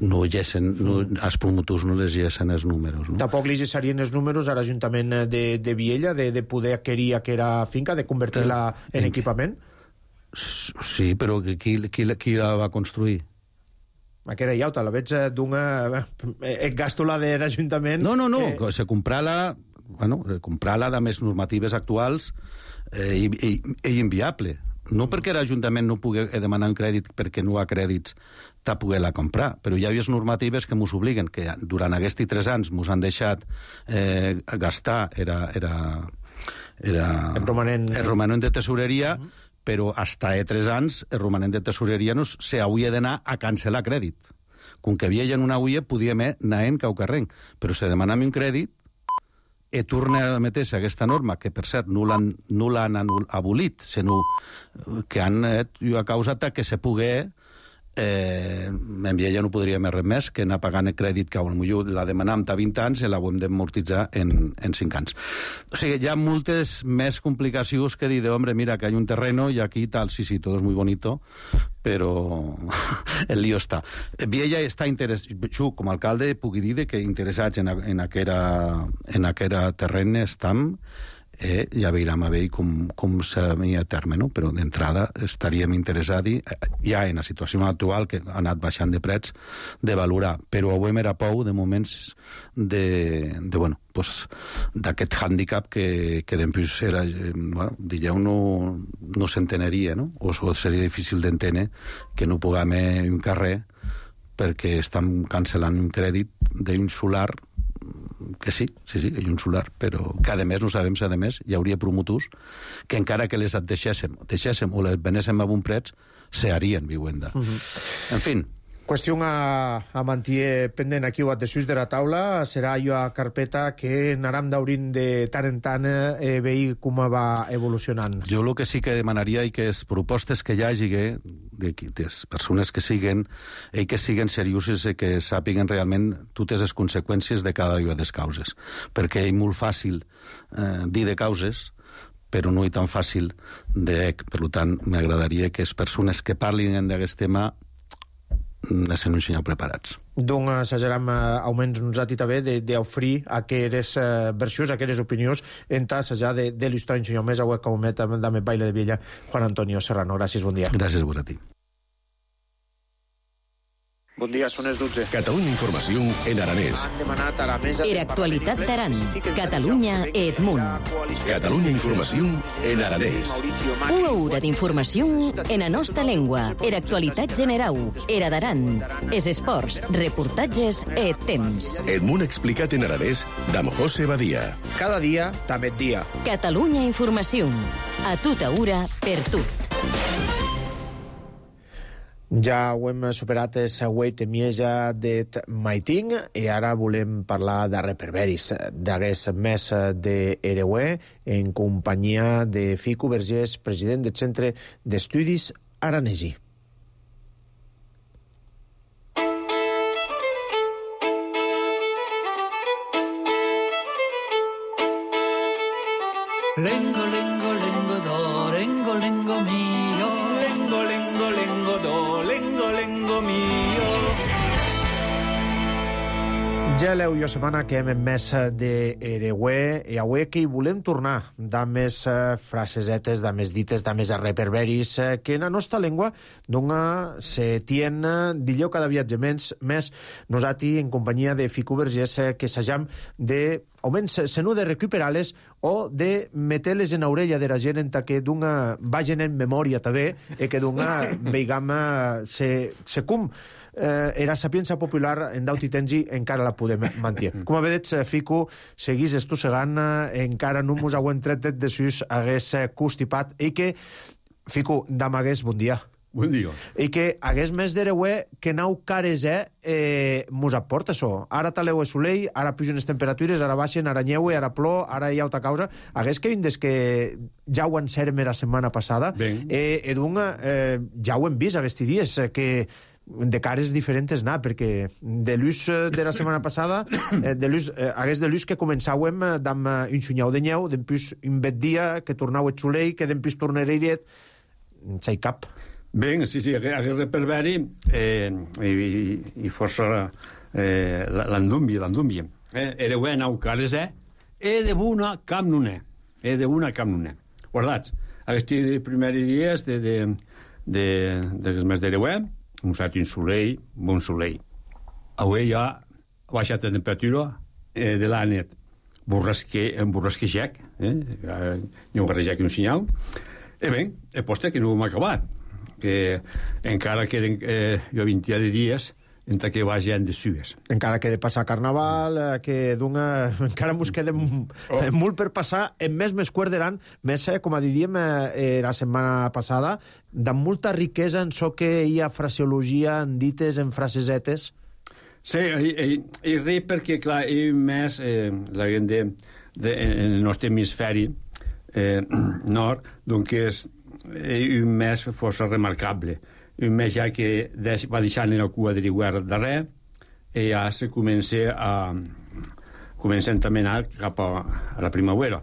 [SPEAKER 7] no llessen, no, els promotors no les llessen els números. No?
[SPEAKER 1] Tampoc li llessarien els números a l'Ajuntament de, de Viella de, de poder adquirir aquella finca, de convertir-la en, en equipament?
[SPEAKER 7] Sí, però qui, qui, qui la va construir?
[SPEAKER 1] Aquella llauta, la veig d'una... Et gasto la de l'Ajuntament...
[SPEAKER 7] No, no, no, que... se comprar-la, bueno, comprar-la de més normatives actuals eh, i, i, i inviable. No perquè l'Ajuntament no pugui demanar un crèdit perquè no ha crèdits t'ha poder-la comprar, però hi ha unes normatives que mos obliguen, que durant aquests tres anys mos han deixat eh, gastar era, era, era
[SPEAKER 1] el romanent,
[SPEAKER 7] el romanent de tesoreria, uh -huh. però hasta e tres anys el romanent de tesoreria no s'hauria d'anar a cancel·lar crèdit. Com que havia en una ulla, podíem anar en caucarrenc, però si demanem un crèdit, e torna a meter-se aquesta norma, que per cert no l'han no l'han abolit, sinó que han eh, causat que se pugui eh, en Viella no podria més res més que anar pagant el crèdit que potser la demanam a vint anys i la hem d'amortitzar en, en cinc anys. O sigui, hi ha moltes més complicacions que dir, hombre, mira, que hi ha un terreno i aquí tal, sí, sí, todo es muy bonito, però el lío està. Viella està interessat, jo com a alcalde puc dir que interessats en, en, aquera, en aquera terreny estam, eh, ja veurem a veure com, com s'havia a terme, no? Però d'entrada estaríem interessats, ja en la situació actual, que ha anat baixant de preus, de valorar. Però avui m'era pou de moments de, de bueno, pues, d'aquest hàndicap que, que després era, bueno, dijeu, no, no s'enteneria, no? O, o seria difícil d'entendre que no puguem un carrer perquè estem cancel·lant un crèdit d'un solar que sí, sí, sí, hi ha un solar, però que a més no sabem si a més hi hauria promotors que encara que les deixéssim, deixéssim o les venéssim a bon preu, se harien vivenda. Uh -huh. En fin.
[SPEAKER 1] Qüestió a, a mantenir pendent aquí o desús de la taula serà allò a carpeta que anàrem d'obrint de tant en tant eh, veure com va evolucionant.
[SPEAKER 7] Jo el que sí que demanaria i que les propostes que hi hagi de, de les persones que siguen i que siguen serioses i que sàpiguen realment totes les conseqüències de cada una de les causes, perquè és molt fàcil eh, dir de causes però no és tan fàcil de... Per tant, m'agradaria que les persones que parlin d'aquest tema de ser un senyor preparats.
[SPEAKER 1] Doncs assajarem eh, almenys nosaltres també d'oferir aquelles eh, versions, aquelles opinions en assajar d'il·lustrar un senyor més a web com met de Baile de Viella, Juan Antonio Serrano. Gràcies, bon dia.
[SPEAKER 7] Gràcies a vos a ti.
[SPEAKER 1] Bon dia, són les dotze.
[SPEAKER 3] Catalunya Informació en aranès.
[SPEAKER 1] Han demanat a la mesa...
[SPEAKER 2] Era actualitat d'Aran. Catalunya e Edmunt.
[SPEAKER 3] Catalunya Informació en aranès.
[SPEAKER 2] Una hora d'informació en la nostra llengua. Era actualitat generau. Era d'Aran. Es esports, reportatges e temps.
[SPEAKER 3] Edmunt explicat en aranès d'Am José Badia.
[SPEAKER 1] Cada dia, també dia.
[SPEAKER 2] Catalunya Informació. A tota hora, per tot.
[SPEAKER 1] Ja ho hem superat el següent mieja de Maiting i ara volem parlar de reperberis, d'aquest mes d'Ereue, en companyia de Fico Vergés, president del Centre d'Estudis Aranesi.
[SPEAKER 8] Lengo, lengo, lengo, do, lengo, lengo mio. Lengo, lengo, lengo, do, lengo, lengo mio.
[SPEAKER 1] Ja l'heu jo setmana que hem en mes d'Ereue i avui que hi volem tornar de més frasesetes, de més dites, de més reperberis que en la nostra llengua dona se tien d'illò cada viatge menys més nosaltres en companyia de Fico Vergés que s'hagam de almenys se no de recuperar-les o de meter-les en l'orella de la gent en que d'una vagin en memòria també i que d'una veigam se, se com eh, era sapiença popular en daut i tengi encara la podem mantenir. Com a veig, Fico, seguís estossegant, encara no mos hauen tret de sus hagués constipat i que, Fico, d'amagués, bon dia.
[SPEAKER 9] Bon dia.
[SPEAKER 1] I que hagués més d'Ereue que nau cares eh, eh, mos aporta això. Ara taleu el solell, ara pugen les temperatures, ara baixen, ara nyeue, ara plor, ara hi ha altra causa. Hagués que vindes que ja ho encerem la setmana passada, eh, eh, dunga, eh, ja ho hem vist aquests dies, eh, que de cares diferents anar, perquè de l'ús de la setmana passada, eh, de l'ús, eh, hagués de l'ús que començàvem amb un xunyau de nyeu, d'empús un bet dia, que tornau el solell, que d'empús tornareiret, s'hi cap.
[SPEAKER 9] Ben, sí, sí, aquest reperberi eh, i, i força eh, l'andumbi, l'andumbi. Eh, Ereue nau cares, eh? E de buna cap non è. E de buna cap non è. Guardats, aquests primers dies de, de, de, de, de mes d'Ereue, un sat un solell, bon solell. Avui ja ha baixat la temperatura eh, de la nit. Borrasque, un borrasquejec, eh? N'hi ha un borrasquejec un senyal. E bé, e poste que no hem acabat, que encara queden eh, jo vint de dies entre que va gent de Suez.
[SPEAKER 1] Encara que de passar Carnaval, eh, que d'una... encara mos queda oh. molt per passar, en més més cuerderan, més, eh, com a diríem eh, la setmana passada, de molta riquesa en so que hi ha fraseologia, en dites, en frasesetes.
[SPEAKER 9] Sí, i, i, i res perquè, clar, i més eh, la gent de, de, en el nostre hemisferi eh, nord, doncs és un mes força remarcable. Un mes ja que deix, va deixant en la cua de l'hivern darrer i ja se comença a comencen també a anar cap a, a la primavera.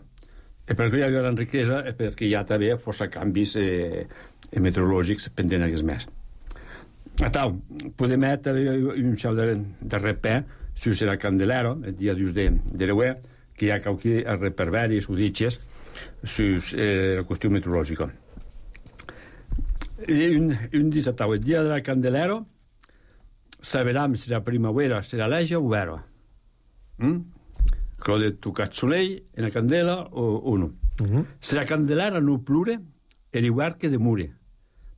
[SPEAKER 9] I perquè hi ha gran riquesa és perquè hi ha també força canvis eh, meteorològics pendent aquest mes. A tal, podem també un xau de, de repè si serà Candelero, el dia dos de, de l'Euè, que hi ha aquí a reperveris o ditxes sus eh, la qüestió meteorològica. I un, un dia tau, el dia de la Candelero saberem si la primavera serà leja o vera. Mm? Quello de tu cazzolei en la candela o, o no. Uh-huh. Si la Candelera no plure, e l'hivern que demure.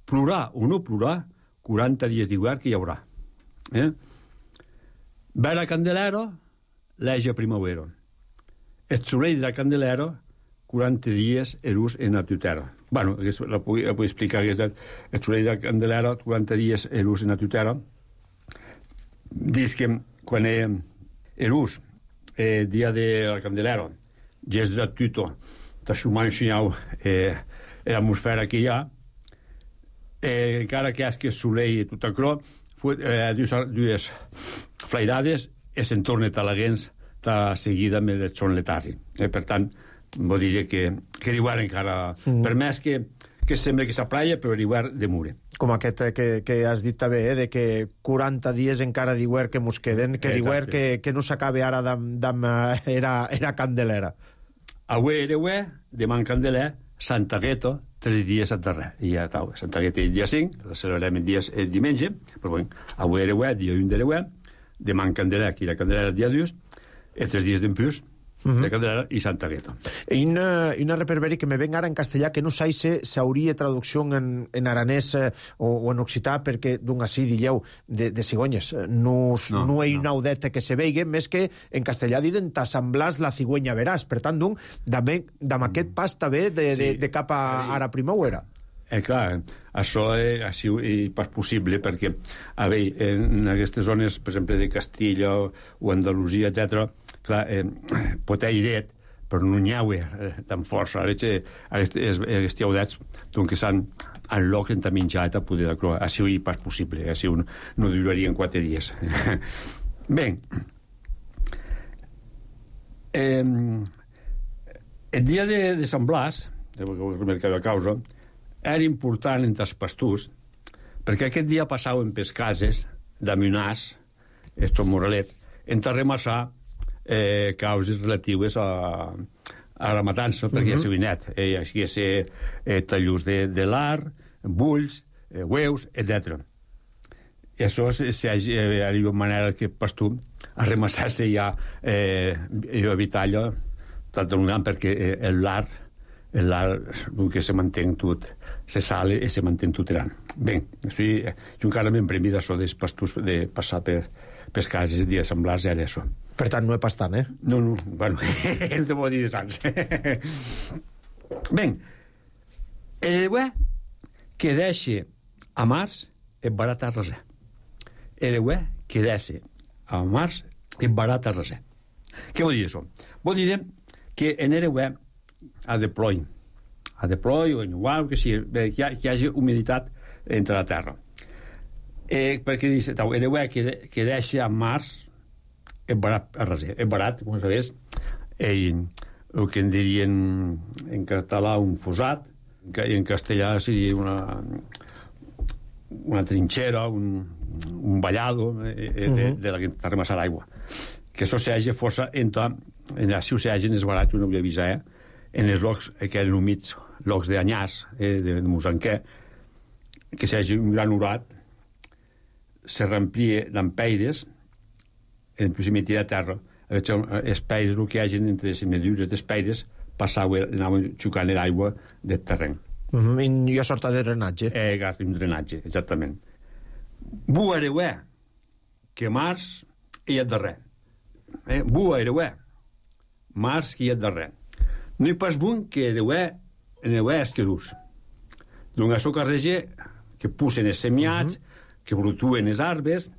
[SPEAKER 9] Plurà o no plurà, quaranta dies d'hivern que hi haurà. Eh? Vera Candelero, leja primavera. El solell de la Candelera, quaranta dies erus en la tutera. Bueno, la puc, la puc explicar que és el solell de la Candelera, quaranta dies erus en la tutera. Dius que quan erus, el dia de la Candelera, gest de tuto, t'aixumar ensenyau eh, l'atmosfera que hi ha, eh, encara que és que el solell tot acrò, eh, dues, dues flairades i se'n torna a la gens ta seguida amb el son letàrgic. Eh, per tant, vull dir que, que l'hivern encara... Mm. Per més que, que sembla que s'aplaia, però l'hivern demure.
[SPEAKER 1] Com aquest que, que has dit també, eh, de que quaranta dies encara d'hivern que mos queden, que l'hivern que, que no s'acabe ara d'am era, era Candelera.
[SPEAKER 9] Avui era avui, demà en Candeler, Santa Gueto, tres dies a darrer. I ja tau, Santa Gueto el dia cinc, la celebrem el, dia, el diumenge, però bueno, avui era avui, dia un de l'avui, demà en Candeler, aquí la Candelera el dia dos, i tres dies d'en plus, Uh -huh. de Candelera i Santa Gueto.
[SPEAKER 1] I una, una reperberi que me venga ara en castellà que no sé si s'hauria traducció en, en aranès eh, o, o en occità perquè d'un així dilleu de, de cigonyes. No, no, no hi ha una audeta que se veiga, més que en castellà diuen t'assemblars la cigüenya veràs. Per tant, d'un, d'am aquest pas també de, sí. de, de cap a, a la primavera.
[SPEAKER 9] Eh, clar, això és així i pas possible perquè, a veure, en aquestes zones, per exemple, de Castilla o, o Andalusia, etcètera, clar, eh, pot haver iret, però no n'hi ha eh, tan força. Ara, aquests audets que s'han en lloc en menjat a poder d'acroar. Així és pas possible, així no, no durarien quatre dies. Bé, eh, el dia de, de Sant Blas, el mercat de causa, era important entre els pastors, perquè aquest dia passaven per cases d'Amunàs, estos Moralet, en remassar Eh, causes relatives a, a la matança, perquè uh -huh. ja s'ha vinet. Eh, així és eh, tallurs de, de l'art, bulls, eh, hueus, etcètera. I això eh, arriba una manera que pastor a remassar-se ja eh, i evitar allò tot un gran, perquè eh, l'art l'art que se manté tot se sale i se manté tot gran. Bé, així, jo encara m'empremi d'això dels pastors de passar per, per cases i dia semblars era això.
[SPEAKER 1] Per tant, no és pas tant, eh?
[SPEAKER 9] No, no, bueno, hem de dir de sants. Ben, el hue que deixa a març és barat a reser. El hue que deixa a març és barat a reser. Què vol dir això? Vol dir que en el hue a de ploi, a de ploi o en igual que sigui, que hi, ha, que hi hagi humiditat entre la terra. Eh, perquè dice, el hue que, que deixa a març és barat a reser. És barat, com sabés, eh, el que en dirien en català un fosat, i en castellà seria una, una trinxera, un, un ballado eh, de, de, de la que està remassar aigua. Que això s'hagi força entre, en la ciutat s'hagi en els barats, jo no vull avisar, eh, en els llocs que eren humits, llocs d'anyàs, eh, de, de musanquer, que s'hagi un gran orat, se remplia d'empeires, en proximitat de terra, els països el que hi hagi entre les medures dels països passaven, anaven xucant l'aigua del terreny.
[SPEAKER 1] Uh-huh. I jo sorta de drenatge.
[SPEAKER 9] Eh, gas un drenatge, exactament. Bu ereuè, que març i et darrer. Eh? Bu ereuè, març i et darrer. No hi pas bun que ereuè, ereuè esquerús. D'un açò carreger que pusen els semiats, uh-huh. que brutuen els arbres,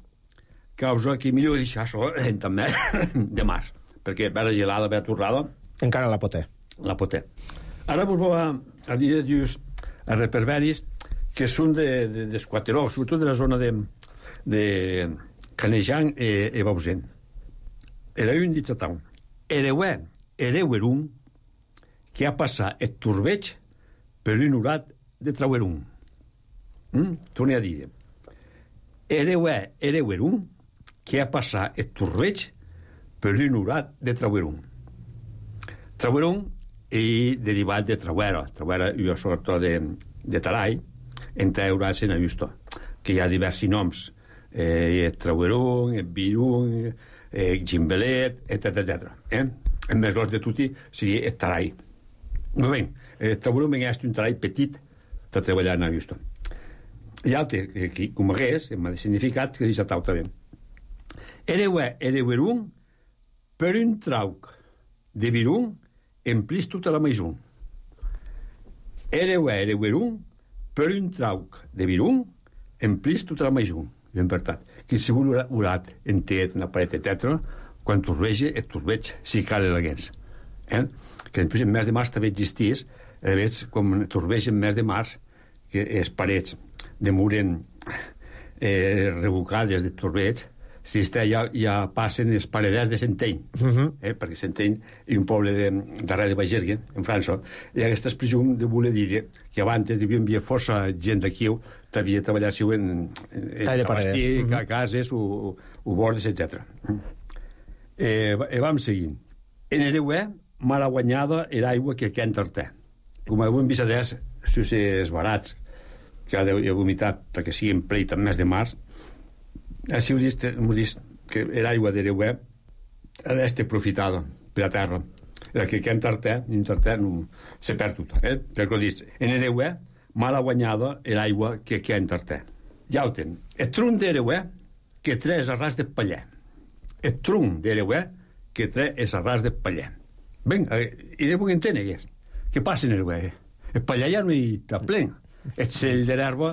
[SPEAKER 9] causa que millor deixar això eh, també de març, perquè ve la gelada, ve la torrada.
[SPEAKER 1] Encara la poté.
[SPEAKER 9] La poté. Ara vos va a dir dius a reperberis que són de, de, d'Esquateró, sobretot de la zona de, de Canejan i, i Bausen. Era un dit a taun. Ereuè, ereuerum, que ha passat et turbeig per un urat de trauerum. Mm? Torne a dir. Ereuè, ereuerum, que ha passat et turbeig per un urat de trauerum. Trauerum i derivat de trauera. Trauera és una sorta de, de tarai entre eurats en ajusto, que hi ha diversos noms. Eh, trauerum, virum, eh, gimbelet, etcètera, etcètera. Eh? El més gros de tutti seria el tarai. Molt bé, el trauerum és un tarai petit de treballar en ajusto. Hi ha altre, que com hagués, m'ha significat que deixa tau també. Ereuè, ereuerum, per un trauc de virum, emplis tota la maison. Ereuè, ereuerum, per un trauc de virum, emplis tota la maison. Ben veritat. Qualsevol urat, entet, una paret, etcètera, quan turbege, et turbeig, si cal elegants. Eh? Que després en mes de març també existís, eh, veig com turbege en mes de març, que les parets demoren eh, revocades de turbeig, si està, ja, ja passen els pareders de Centeny, uh-huh. eh, perquè Centeny és un poble de, darrere de Bagergue, en França, i aquesta expressió de voler dir que abans hi havia força gent d'aquí que havia treballat en, en, en abastir, uh-huh. cases, o, o bordes, etcètera. Eh, eh, vam seguint. En Ereuè, mala guanyada era aigua que aquí enterté. Com avui en Visadès, si és barats, que ha de vomitat perquè siguin pleit en mes de març, així ho dit, dit que l'aigua d'Ereuè ha d'estar aprofitada per la terra. El que aquí enterté, enterté no, se perd tot. Eh? Perquè ho dit, en Ereuè, mala guanyada l'aigua que aquí enterté. Ja ho ten. El tronc d'Ereuè que tre és arràs de paller. El tronc d'Ereuè que tre és arràs de paller. Ben, i de puc entendre què és. Què passa en Ereuè? El paller ja no hi està plen. El cell de l'herba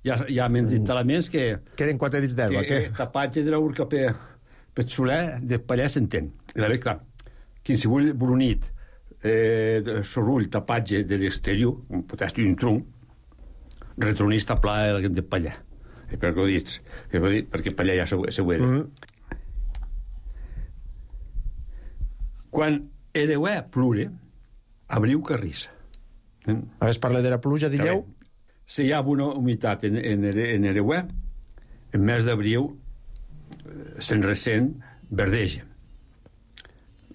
[SPEAKER 9] hi ha, hi ha elements que...
[SPEAKER 1] Queden quatre dits d'herba, què?
[SPEAKER 9] Que tapatge de l'urca per, per soler de paller s'entén. I la ve, clar, qualsevol brunit, eh, sorrull, tapatge de l'exterior, pot estar un tronc, retronista pla de paller. I per què ho dius? Perquè paller ja se ho he dit. Quan Ereuè plure, abriu carrissa.
[SPEAKER 1] Eh? Ara es parla de la pluja, dilleu?
[SPEAKER 9] Si hi ha una humitat en, en, en Ereuè, en mes d'abril se'n ressent verdeja.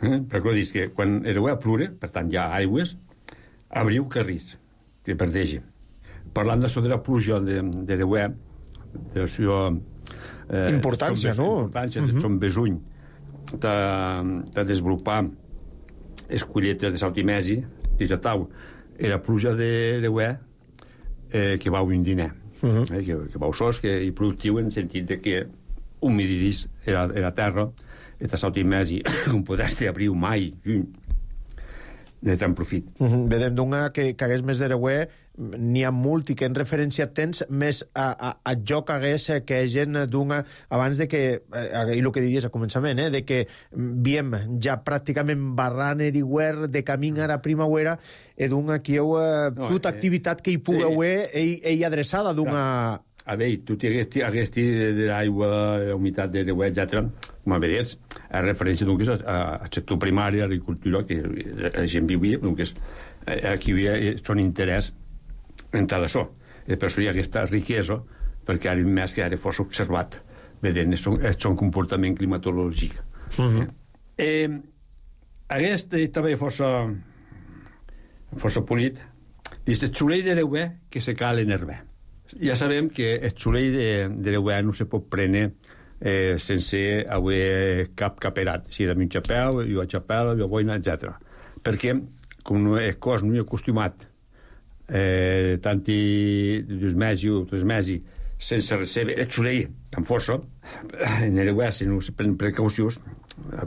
[SPEAKER 9] Eh? Perquè ho dius que quan Ereuè plure, per tant hi ha aigües, abriu carrís, que verdeja. Parlant d'això de la pluja d'Ereuè, de la seva...
[SPEAKER 1] Eh, importància, no?
[SPEAKER 9] Importància, de son besuny, de, de desenvolupar les colletes de Sautimesi, i ja tau, i la pluja d'Ereuè, eh, que va un diner, uh-huh. eh, que, que va sos, que és productiu en el sentit de que humidís la, la terra, i de Sautimesi, com podràs abriu mai, juny, de tant profit.
[SPEAKER 1] Uh-huh. Vedem d'una que, que hagués més d'Ereuè, n'hi ha molt i que en referència tens més a, a, a jo que hagués que gent d'una abans de que, eh, i el que diries al començament, eh, de que viem ja pràcticament barran eriguer de camí a la primavera i d'una que heu eh, no, tota eh, activitat que hi pugueu eh, ell, ell adreçada d'una...
[SPEAKER 9] A veure, tu hagués de l'aigua, la humitat de l'Ereuè, etcètera, com a vedets, a referència d'un que és al sector primari, a l'agricultura, que la gent vivia, que és, aquí hi ha son interès en tot això. I per això hi ha aquesta riquesa, perquè ara més que ara fos observat, vedent el son comportament climatològic. Uh-huh. eh, aquest també força força polit, dius, el xulell d'Ereuè que se cal en herbe. Ja sabem que el xulell d'Ereuè no se pot prendre eh, sense haver cap caperat, si de mig xapeu, jo a xapel, jo boina, etcètera. Perquè, com no, el cos no hi ha acostumat eh, tanti dos mesi o tres mesi sense recebre el soleil amb força, en el web, si no se prenen precaucions,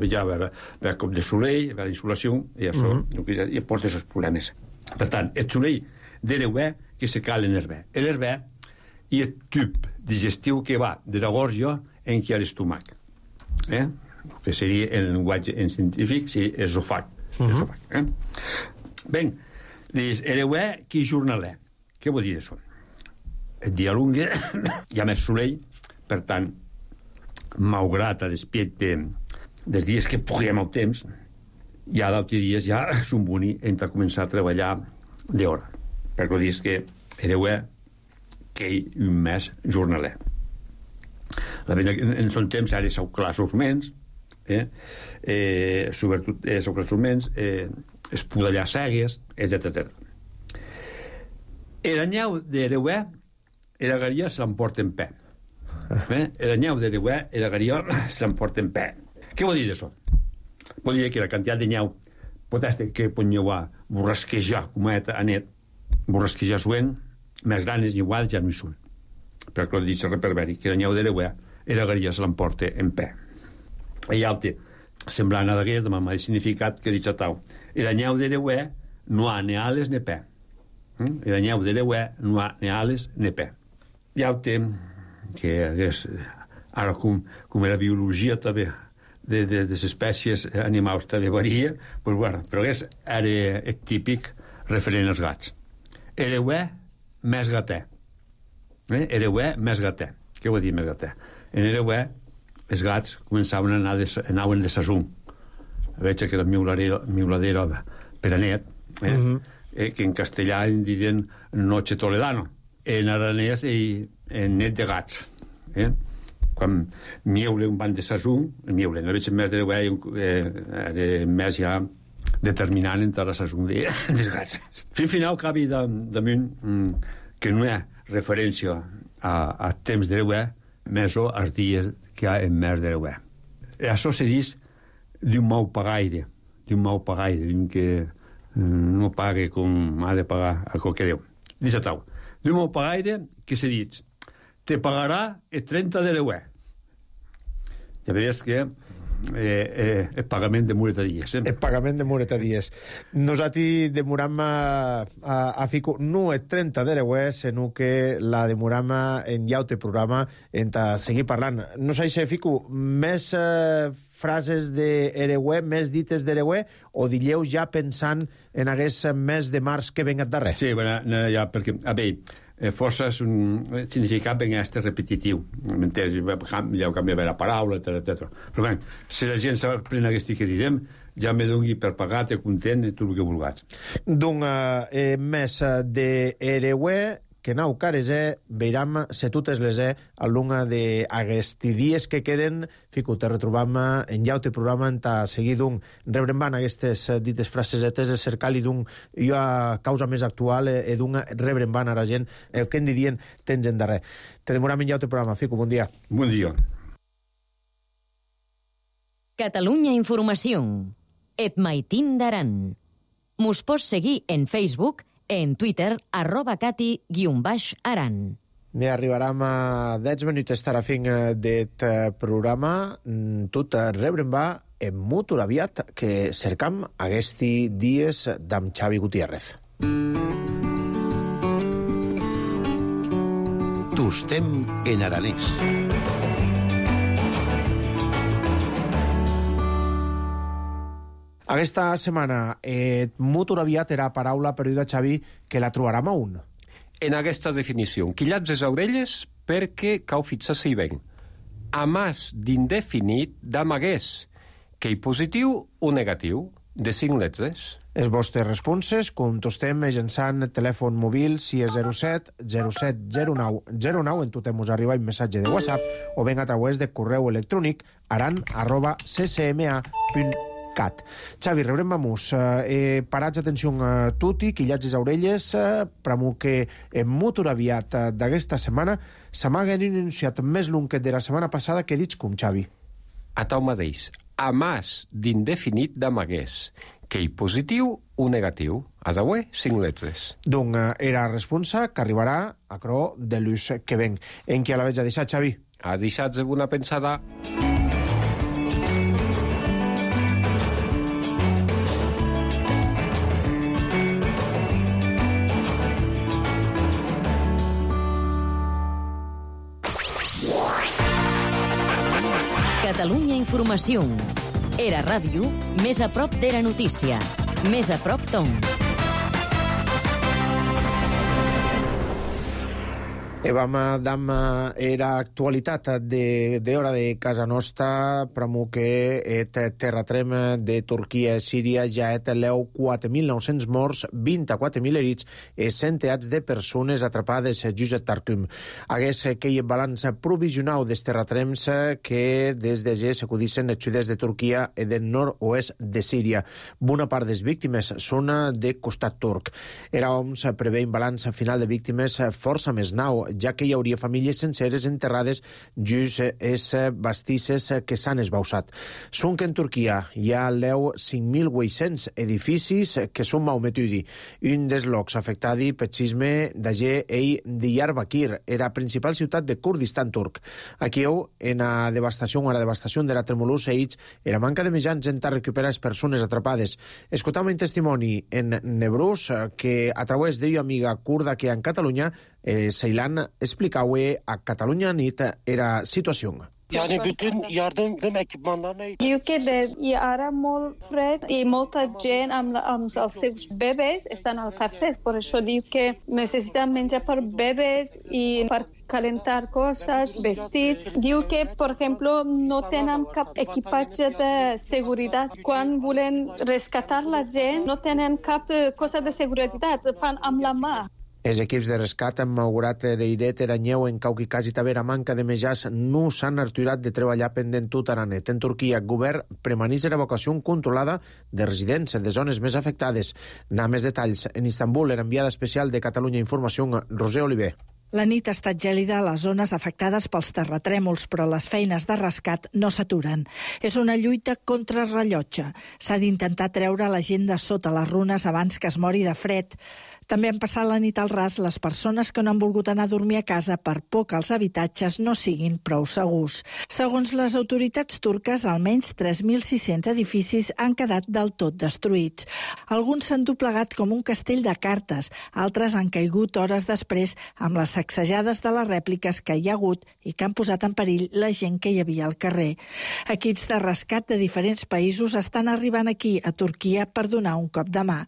[SPEAKER 9] ja va haver cop de soleil, va haver insolació, i això uh -huh. i porta aquests problemes. Per tant, el soleil de l'herbe que se cal en l'herbe. L'herbe i el tub digestiu que va de la gorja en què hi ha l'estómac. Eh? Que seria el llenguatge en científic, sí, esòfag. Uh -huh. eh? Ben, l'herbe que jornaler. Què vol dir això? El dia lungue hi ha més soleil, per tant, malgrat a l'aspecte dels dies que puguem al temps, ja d'altres dies ja són boni entre començar a treballar d'hora. Perquè dius que hereu que hi un mes jornaler. La pena, en son temps ara sou classos menys, eh? eh, sobretot eh, sou classos menys, eh, espudallar segues, etcètera. L'anyau d'hereu la garia se l'emporta en pe. Eh? L'anyau d'hereu la garia se l'emporta en pe. Què vol dir això? Vol dir que la quantitat de nyau pot estar que pot nyauar borrasquejar com a anet, borrasquejar suent, més grans i iguals ja no hi són. Però que ho dic reperberi, que l'anyau d'hereu la garia se l'emporta en pe. I altre, semblant a d'aquest, de mamà significat que dic a tau. L'anyau d'hereu no ha ni ales ni pe. L'anyau d'hereu no ha ni ales ni pe. I altre, que és, ara com, com la biologia també de, de, de les espècies animals també varia, pues, bueno, però és ara és típic referent als gats. Hereu més gater. Eh? Hereu més gater. Què vol dir més gater? En hereu els gats començaven a anar de, anaven de sasum. Veig que la miuladera per a net, eh? Uh -huh. eh, que en castellà en diuen noche toledano. En aranès i en net de gats. Eh? Quan miule un ban de sasum, miule, no veig més d'hereu eh, més ja determinant entre la sasum de, dels gats. Fins final cabi damunt que no hi ha referència a, a temps d'hereu més o als dies que hi ha en mes d'hereu. Això se diu d'un mau pagaire, d'un mau pagaire, d'un que no pague com ha de pagar a qualque Déu. Dice tau, d'un mau pagaire que se diu te pagarà el trenta d'hereu. Ja veies que Eh, eh, el pagament de muretadies. Eh?
[SPEAKER 1] El pagament de muretadies. Nosaltres demoram a, a, a fico no el trenta d'hereu, sinó que la demoram en llaute programa en a seguir parlant. No sé si fico més eh, frases d'hereu, més dites d'hereu, o dilleu ja pensant en aquest mes de març que venga darrere?
[SPEAKER 9] Sí, bueno, no, ja, perquè, a veure, Eh, força és un significat ben este repetitiu, m'entens? Ja canvia la paraula, etcètera. Però bé, si la gent s'aprèn aquest que direm, ja me doni per pagat, content, tot el que vulguis.
[SPEAKER 1] D'un eh, mes d'hereu que nau cares e, veiram se totes les e a lunga d'aquesti dies que queden, fico, te retrobam en llaute programa en ta seguir d'un rebrembant aquestes dites frasesetes de cercar-li d'un jo a causa més actual e d'un rebrembant a la gent el que en didien tens en darrer. Te demoram en llaute programa, fico, bon dia.
[SPEAKER 9] Bon dia.
[SPEAKER 2] Catalunya Informació. Et maitin d'aran. Mos pots seguir en Facebook, en Twitter, arroba cati guion baix aran.
[SPEAKER 1] Bé, arribarem a deu minuts estarà fin d'aquest programa. Tot rebrem va en molt aviat que cercam aquests dies d'en Xavi Gutiérrez.
[SPEAKER 3] Tostem en aranès.
[SPEAKER 1] Aquesta setmana, eh, molt aviat era paraula perduda, Xavi, que la trobarem a un.
[SPEAKER 10] En aquesta definició, quillats les orelles perquè cau fixar-se ben. A mas d'indefinit d'amagués, que hi positiu o negatiu, de cinc lletres.
[SPEAKER 1] Els vostres responses contestem mitjançant el telèfon mòbil si és zero set zero set zero nou zero nou, en totem us arriba un missatge de WhatsApp o ben a través de correu electrònic aran arroba c c m a punt cat. Xavi, rebrem vamos. Eh, parats atenció a tutti, quillats les orelles, eh, pramo que en molt aviat eh, d'aquesta setmana s'amaga en un enunciat més long que de la setmana passada que dits com, Xavi.
[SPEAKER 10] A tau mateix, a mas d'indefinit d'amagués, que hi positiu o negatiu. A d'avui, cinc letres.
[SPEAKER 1] Donc, era responsa que arribarà a cro de l'ús que ven. En qui a la veig a deixar, Xavi?
[SPEAKER 10] A deixar-se una pensada.
[SPEAKER 2] Catalunya Informació. Era ràdio, més a prop d'Era Notícia. Més a prop Tom.
[SPEAKER 1] E vam dam era actualitat de, de hora de casa nostra, pramo que et terratrem de Turquia i Síria ja et leu quatre mil nou-cents morts, vint-i-quatre mil herits i centenars de persones atrapades just a Tartum. Hagués que hi balanç provisional dels terratrems que des de ja s'acudissen els sud-est de Turquia i del nord-oest de Síria. Bona part des víctimes són de costat turc. Era O M S prevé un balanç final de víctimes força més nau, ja que hi hauria famílies senceres enterrades just es bastisses que s'han esbausat. Són que en Turquia hi ha leu cinc mil vuit-cents edificis que són Mahometudi. Un dels llocs afectats per sisme d'Agé i Diyarbakir, era principal ciutat de Kurdistan turc. Aquí en la devastació, en la devastació de la tremolor seguits, era manca de mitjans en recuperar les persones atrapades. Escoltam un testimoni en Nebrus que a través d'ella amiga kurda que en Catalunya E, Seylan explicava a Catalunya Nit era situació.
[SPEAKER 11] Yani bütün yardım ekipmanlarına...
[SPEAKER 12] Ülkede ara molt fred i molta gent amb, amb els seus bebès estan al carrer. Per això diu que necessiten menjar per bebès i per calentar coses, vestits. Diu que, per exemple, no tenen cap equipatge de seguretat. Quan volen rescatar la gent, no tenen cap cosa de seguretat, fan amb la mà.
[SPEAKER 1] Els equips de rescat han augurat Reiret, Eranyeu, en Cauqui, Casi, Tavera, manca de mejars, no s'han aturat de treballar pendent tot Aranet. En Turquia, el govern premanís l'evacuació controlada de residents de zones més afectades. N'ha més detalls. En Istanbul, era enviada especial de Catalunya Informació, Roser Oliver.
[SPEAKER 13] La nit ha estat gèlida a les zones afectades pels terratrèmols, però les feines de rescat no s'aturen. És una lluita contra rellotge. S'ha d'intentar treure la gent de sota les runes abans que es mori de fred. També han passat la nit al ras les persones que no han volgut anar a dormir a casa per por que els habitatges no siguin prou segurs. Segons les autoritats turques, almenys tres mil sis-cents edificis han quedat del tot destruïts. Alguns s'han doblegat com un castell de cartes, altres han caigut hores després amb les sacsejades de les rèpliques que hi ha hagut i que han posat en perill la gent que hi havia al carrer. Equips de rescat de diferents països estan arribant aquí, a Turquia, per donar un cop de mà.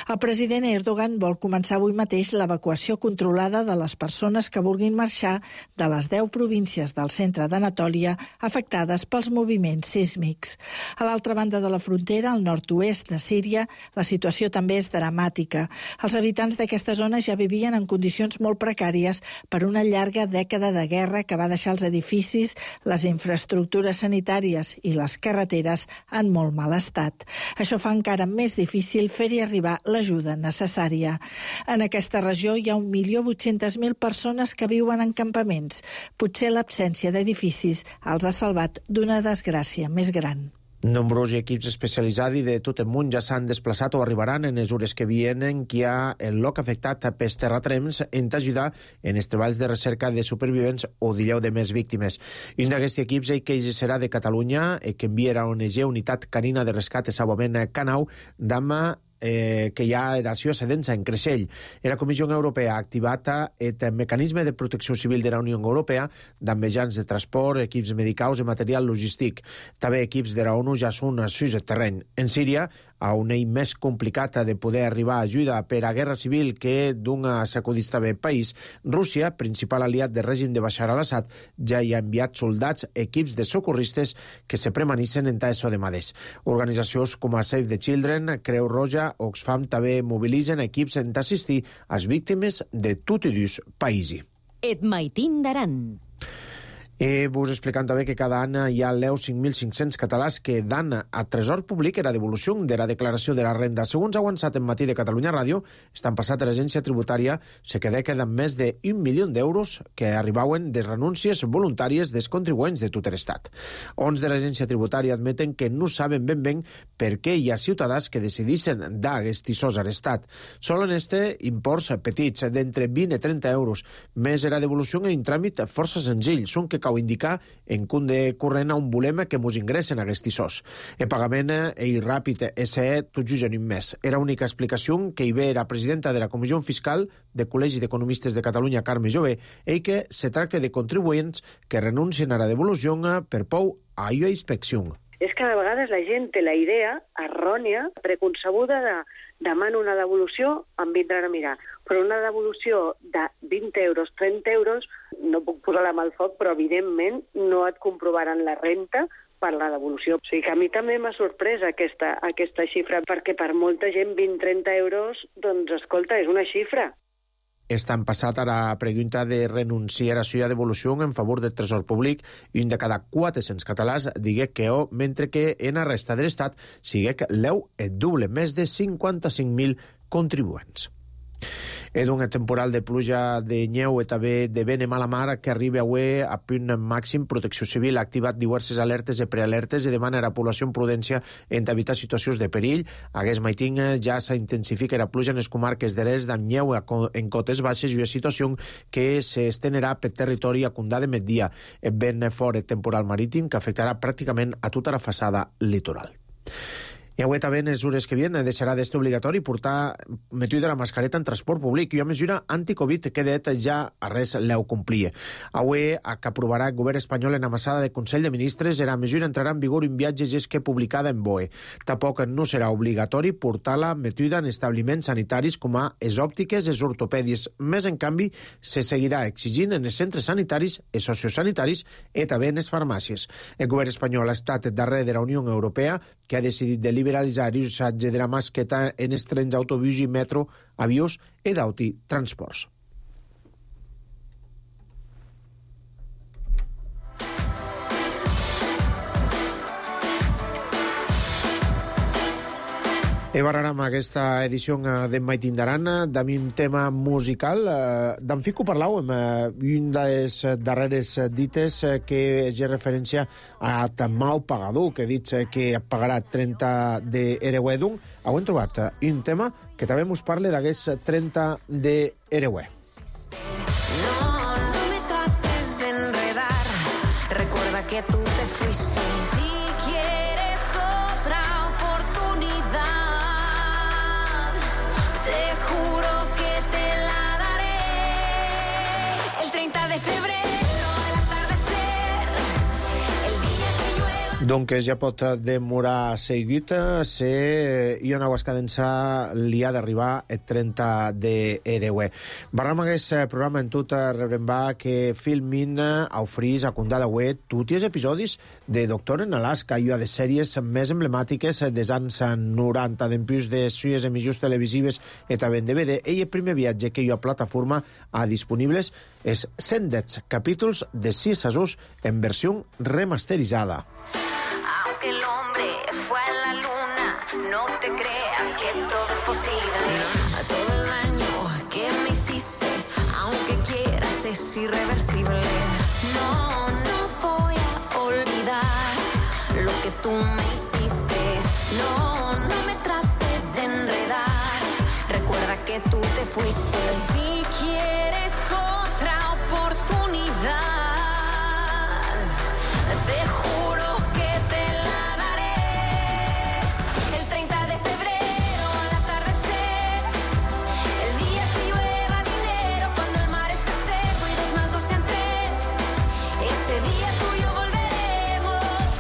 [SPEAKER 13] El president Erdogan vol començar avui mateix l'evacuació controlada de les persones que vulguin marxar de les deu províncies del centre d'Anatòlia afectades pels moviments sísmics. A l'altra banda de la frontera, al nord-oest de Síria, la situació també és dramàtica. Els habitants d'aquesta zona ja vivien en condicions molt precàries per una llarga dècada de guerra que va deixar els edificis, les infraestructures sanitàries i les carreteres en molt mal estat. Això fa encara més difícil fer-hi arribar l'ajuda necessària. En aquesta regió hi ha un milió vuit-centes mil persones que viuen en campaments. Potser l'absència d'edificis els ha salvat d'una desgràcia més gran.
[SPEAKER 1] Nombrosos equips especialitzats de tot el món ja s'han desplaçat o arribaran en les hores que vienen que hi ha el lloc afectat pels terratrems en ajudar en els treballs de recerca de supervivents o d'illau de més víctimes. Un d'aquests equips que serà de Catalunya, que enviarà a O N G Unitat Canina de Rescat i Salvament Canau, d'ama Eh, que hi ha eració sedència en Creixell. La Comissió Europea ha activat el mecanisme de protecció civil de la Unió Europea amb mitjans de transport, equips medicals i material logístic. També equips de la ONU ja són sus el terreny. En Síria, a un ell més complicat de poder arribar a ajuda per a guerra civil que d'una sacudista bé país, Rússia, principal aliat del règim de Bashar al-Assad, ja hi ha enviat soldats, equips de socorristes que se premanissen en taixo de maders. Organitzacions com a Save the Children, Creu Roja, Oxfam també mobilitzen equips en assistir a les víctimes de tot i dos països.
[SPEAKER 2] Et maitin d'aran.
[SPEAKER 1] I vos explicant també que cada any hi ha leu cinc mil cinc-cents catalans que dan a Tresor Públic era devolució de la declaració de la renda. Segons ha avançat en Matí de Catalunya Ràdio, estan passat a l'agència tributària se queda queden més d'un milió d'euros que arribaven de renúncies voluntàries dels contribuents de tot l'estat. Ons de l'agència tributària admeten que no saben ben ben per què hi ha ciutadans que decideixen dar aquests arrestat. Solen este imports petits, d'entre vint i trenta euros, més era devolució en un tràmit força senzill, són que cal indicar en compte corrent a un volem que mos ingressen a aquests sos. El pagament i ràpid és tot just en un mes. Era l'única explicació que hi ve la presidenta de la Comissió Fiscal del Col·legi d'Economistes de Catalunya, Carme Jové, i que se tracta de contribuents que renuncien a la devolució per por a la inspecció.
[SPEAKER 14] És que a vegades la gent té la idea errònia, preconcebuda de demano una devolució, em vindran a mirar. Però una devolució de vint euros, trenta euros, no puc posar la mà al foc, però evidentment no et comprovaran la renta per la devolució. O sigui que a mi també m'ha sorprès aquesta, aquesta xifra, perquè per molta gent vint a trenta euros, doncs escolta, és una xifra.
[SPEAKER 1] Estan passat a la pregunta de renunciar a la devolució en favor del Tresor Públic i un de cada quatre-cents catalans digui que o, mentre que en la resta de l'estat sigui l'eu el doble, més de cinquanta-cinc mil contribuents. És un temporal de pluja de neu i també de vent i mala mar que arriba avui a punt màxim. Protecció Civil ha activat diverses alertes i prealertes i demana a la població en prudència en evitar situacions de perill. Aquest matí ja s'intensifica la pluja en les comarques de l'est amb neu en cotes baixes i una situació que s'estenerà per territori a Condà de migdia. Ben fort el temporal marítim que afectarà pràcticament a tota la façana litoral. I avui també en les hores que vienen deixarà d'estar obligatori portar metall de la mascareta en transport públic i una mesura anti-Covid que det ja a res l'heu complir. Avui que aprovarà el govern espanyol en amassada de Consell de Ministres la mesura entrarà en vigor en viatges és que publicada en B O E. Tampoc no serà obligatori portar-la metuda en establiments sanitaris com a les òptiques, les ortopèdies. Més en canvi se seguirà exigint en els centres sanitaris i sociosanitaris i també en les farmàcies. El govern espanyol ha estat darrere de la Unió Europea que ha decidit de liberalitzar l'usatge de la masqueta en els trens, autobús i metro, avions i d'auti transports. I barrarem aquesta edició d'en Maitín d'Aran amb un tema musical. D'en Fico parlàvem, un de les darreres dites que és referència a Mau Pagador, que ha dit que pagarà trenta d'Ereuedung. Heu trobat un tema que també us parla d'aquest trenta d'Ereué.
[SPEAKER 15] No, no me trates de enredar, recuerda que tú te fuiste. Si quieres otra oportunidad, te juro que te la daré. El treinta de febrero, al atardecer, el día que llueva.
[SPEAKER 1] Donc ja pot demorar seguit si hi ha una escadença li ha d'arribar el trenta d'Ereué. Barram aquest programa en tot rebrem va que filmin a ofrís a Condà d'Aué tots els episodis de Doctor en Alaska i de sèries més emblemàtiques dels anys noranta, d'empús de suyes emissions televisives i també en D V D. I el primer viatge que hi ha plataforma a disponibles és cent deu capítols de sis sasos en versió remasteritzada.
[SPEAKER 15] Aunque el hombre fue a la luna, no te creas que todo es posible. A todo el daño que me hiciste, aunque quieras es irreversible. No, no voy a olvidar lo que tú me hiciste. No, no me trates de enredar, recuerda que tú te fuiste. Si quieres otra oportunidad, te juro que te la daré. El treinta de febrero al atardecer, el día que llueva dinero, cuando el mar esté seco y dos más dos sean tres, ese día tú y yo volveremos.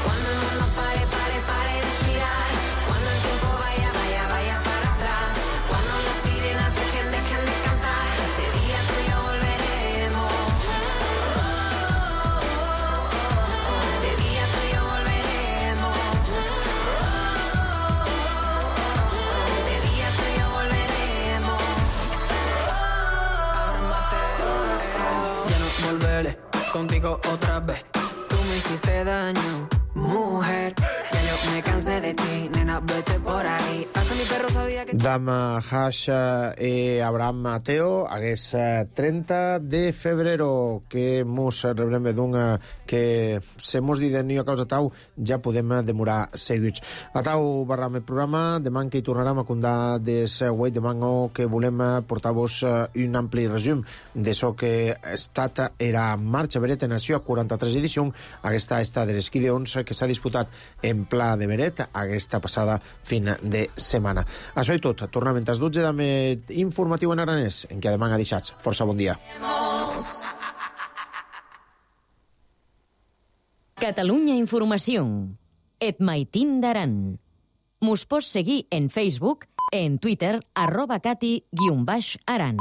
[SPEAKER 15] Cuando el mundo pare, pare, pare de girar, cuando el tiempo vaya, vaya, vaya para atrás, cuando las sirenas dejen, dejen de cantar, ese día tú y yo volveremos. Ese día tú y yo volveremos. Ese día tú y yo volveremos.
[SPEAKER 8] Ya no volveré.
[SPEAKER 16] contigo otra vez. Tú me hiciste daño, mujer. Ya yo me cansé de ti, nena, vete por ahí. Hasta mi perro sabía que...
[SPEAKER 1] Dama Hash e Abraham Mateo, hagués treinta de febrero, que mos rebrem d'un que se mos di de nio a causa tau, ja podem demorar seguits. A tau barram el programa, demà que hi tornarem a condar des wei, demà que volem portar-vos un ampli resum de so que ha estat era marxa Beret en Nació quaranta-tres edició, aquesta està de les Gideons que s'ha disputat en Pla de Beret aquesta passada fin de setmana. Això i tot, tornem a les dotze d'Amet informatiu en aranès, en què demà ha deixat. Força bon dia.
[SPEAKER 2] Catalunya Informació. Et maitín d'aran. Mos pots seguir en Facebook, en Twitter, arroba cati guion baix aran.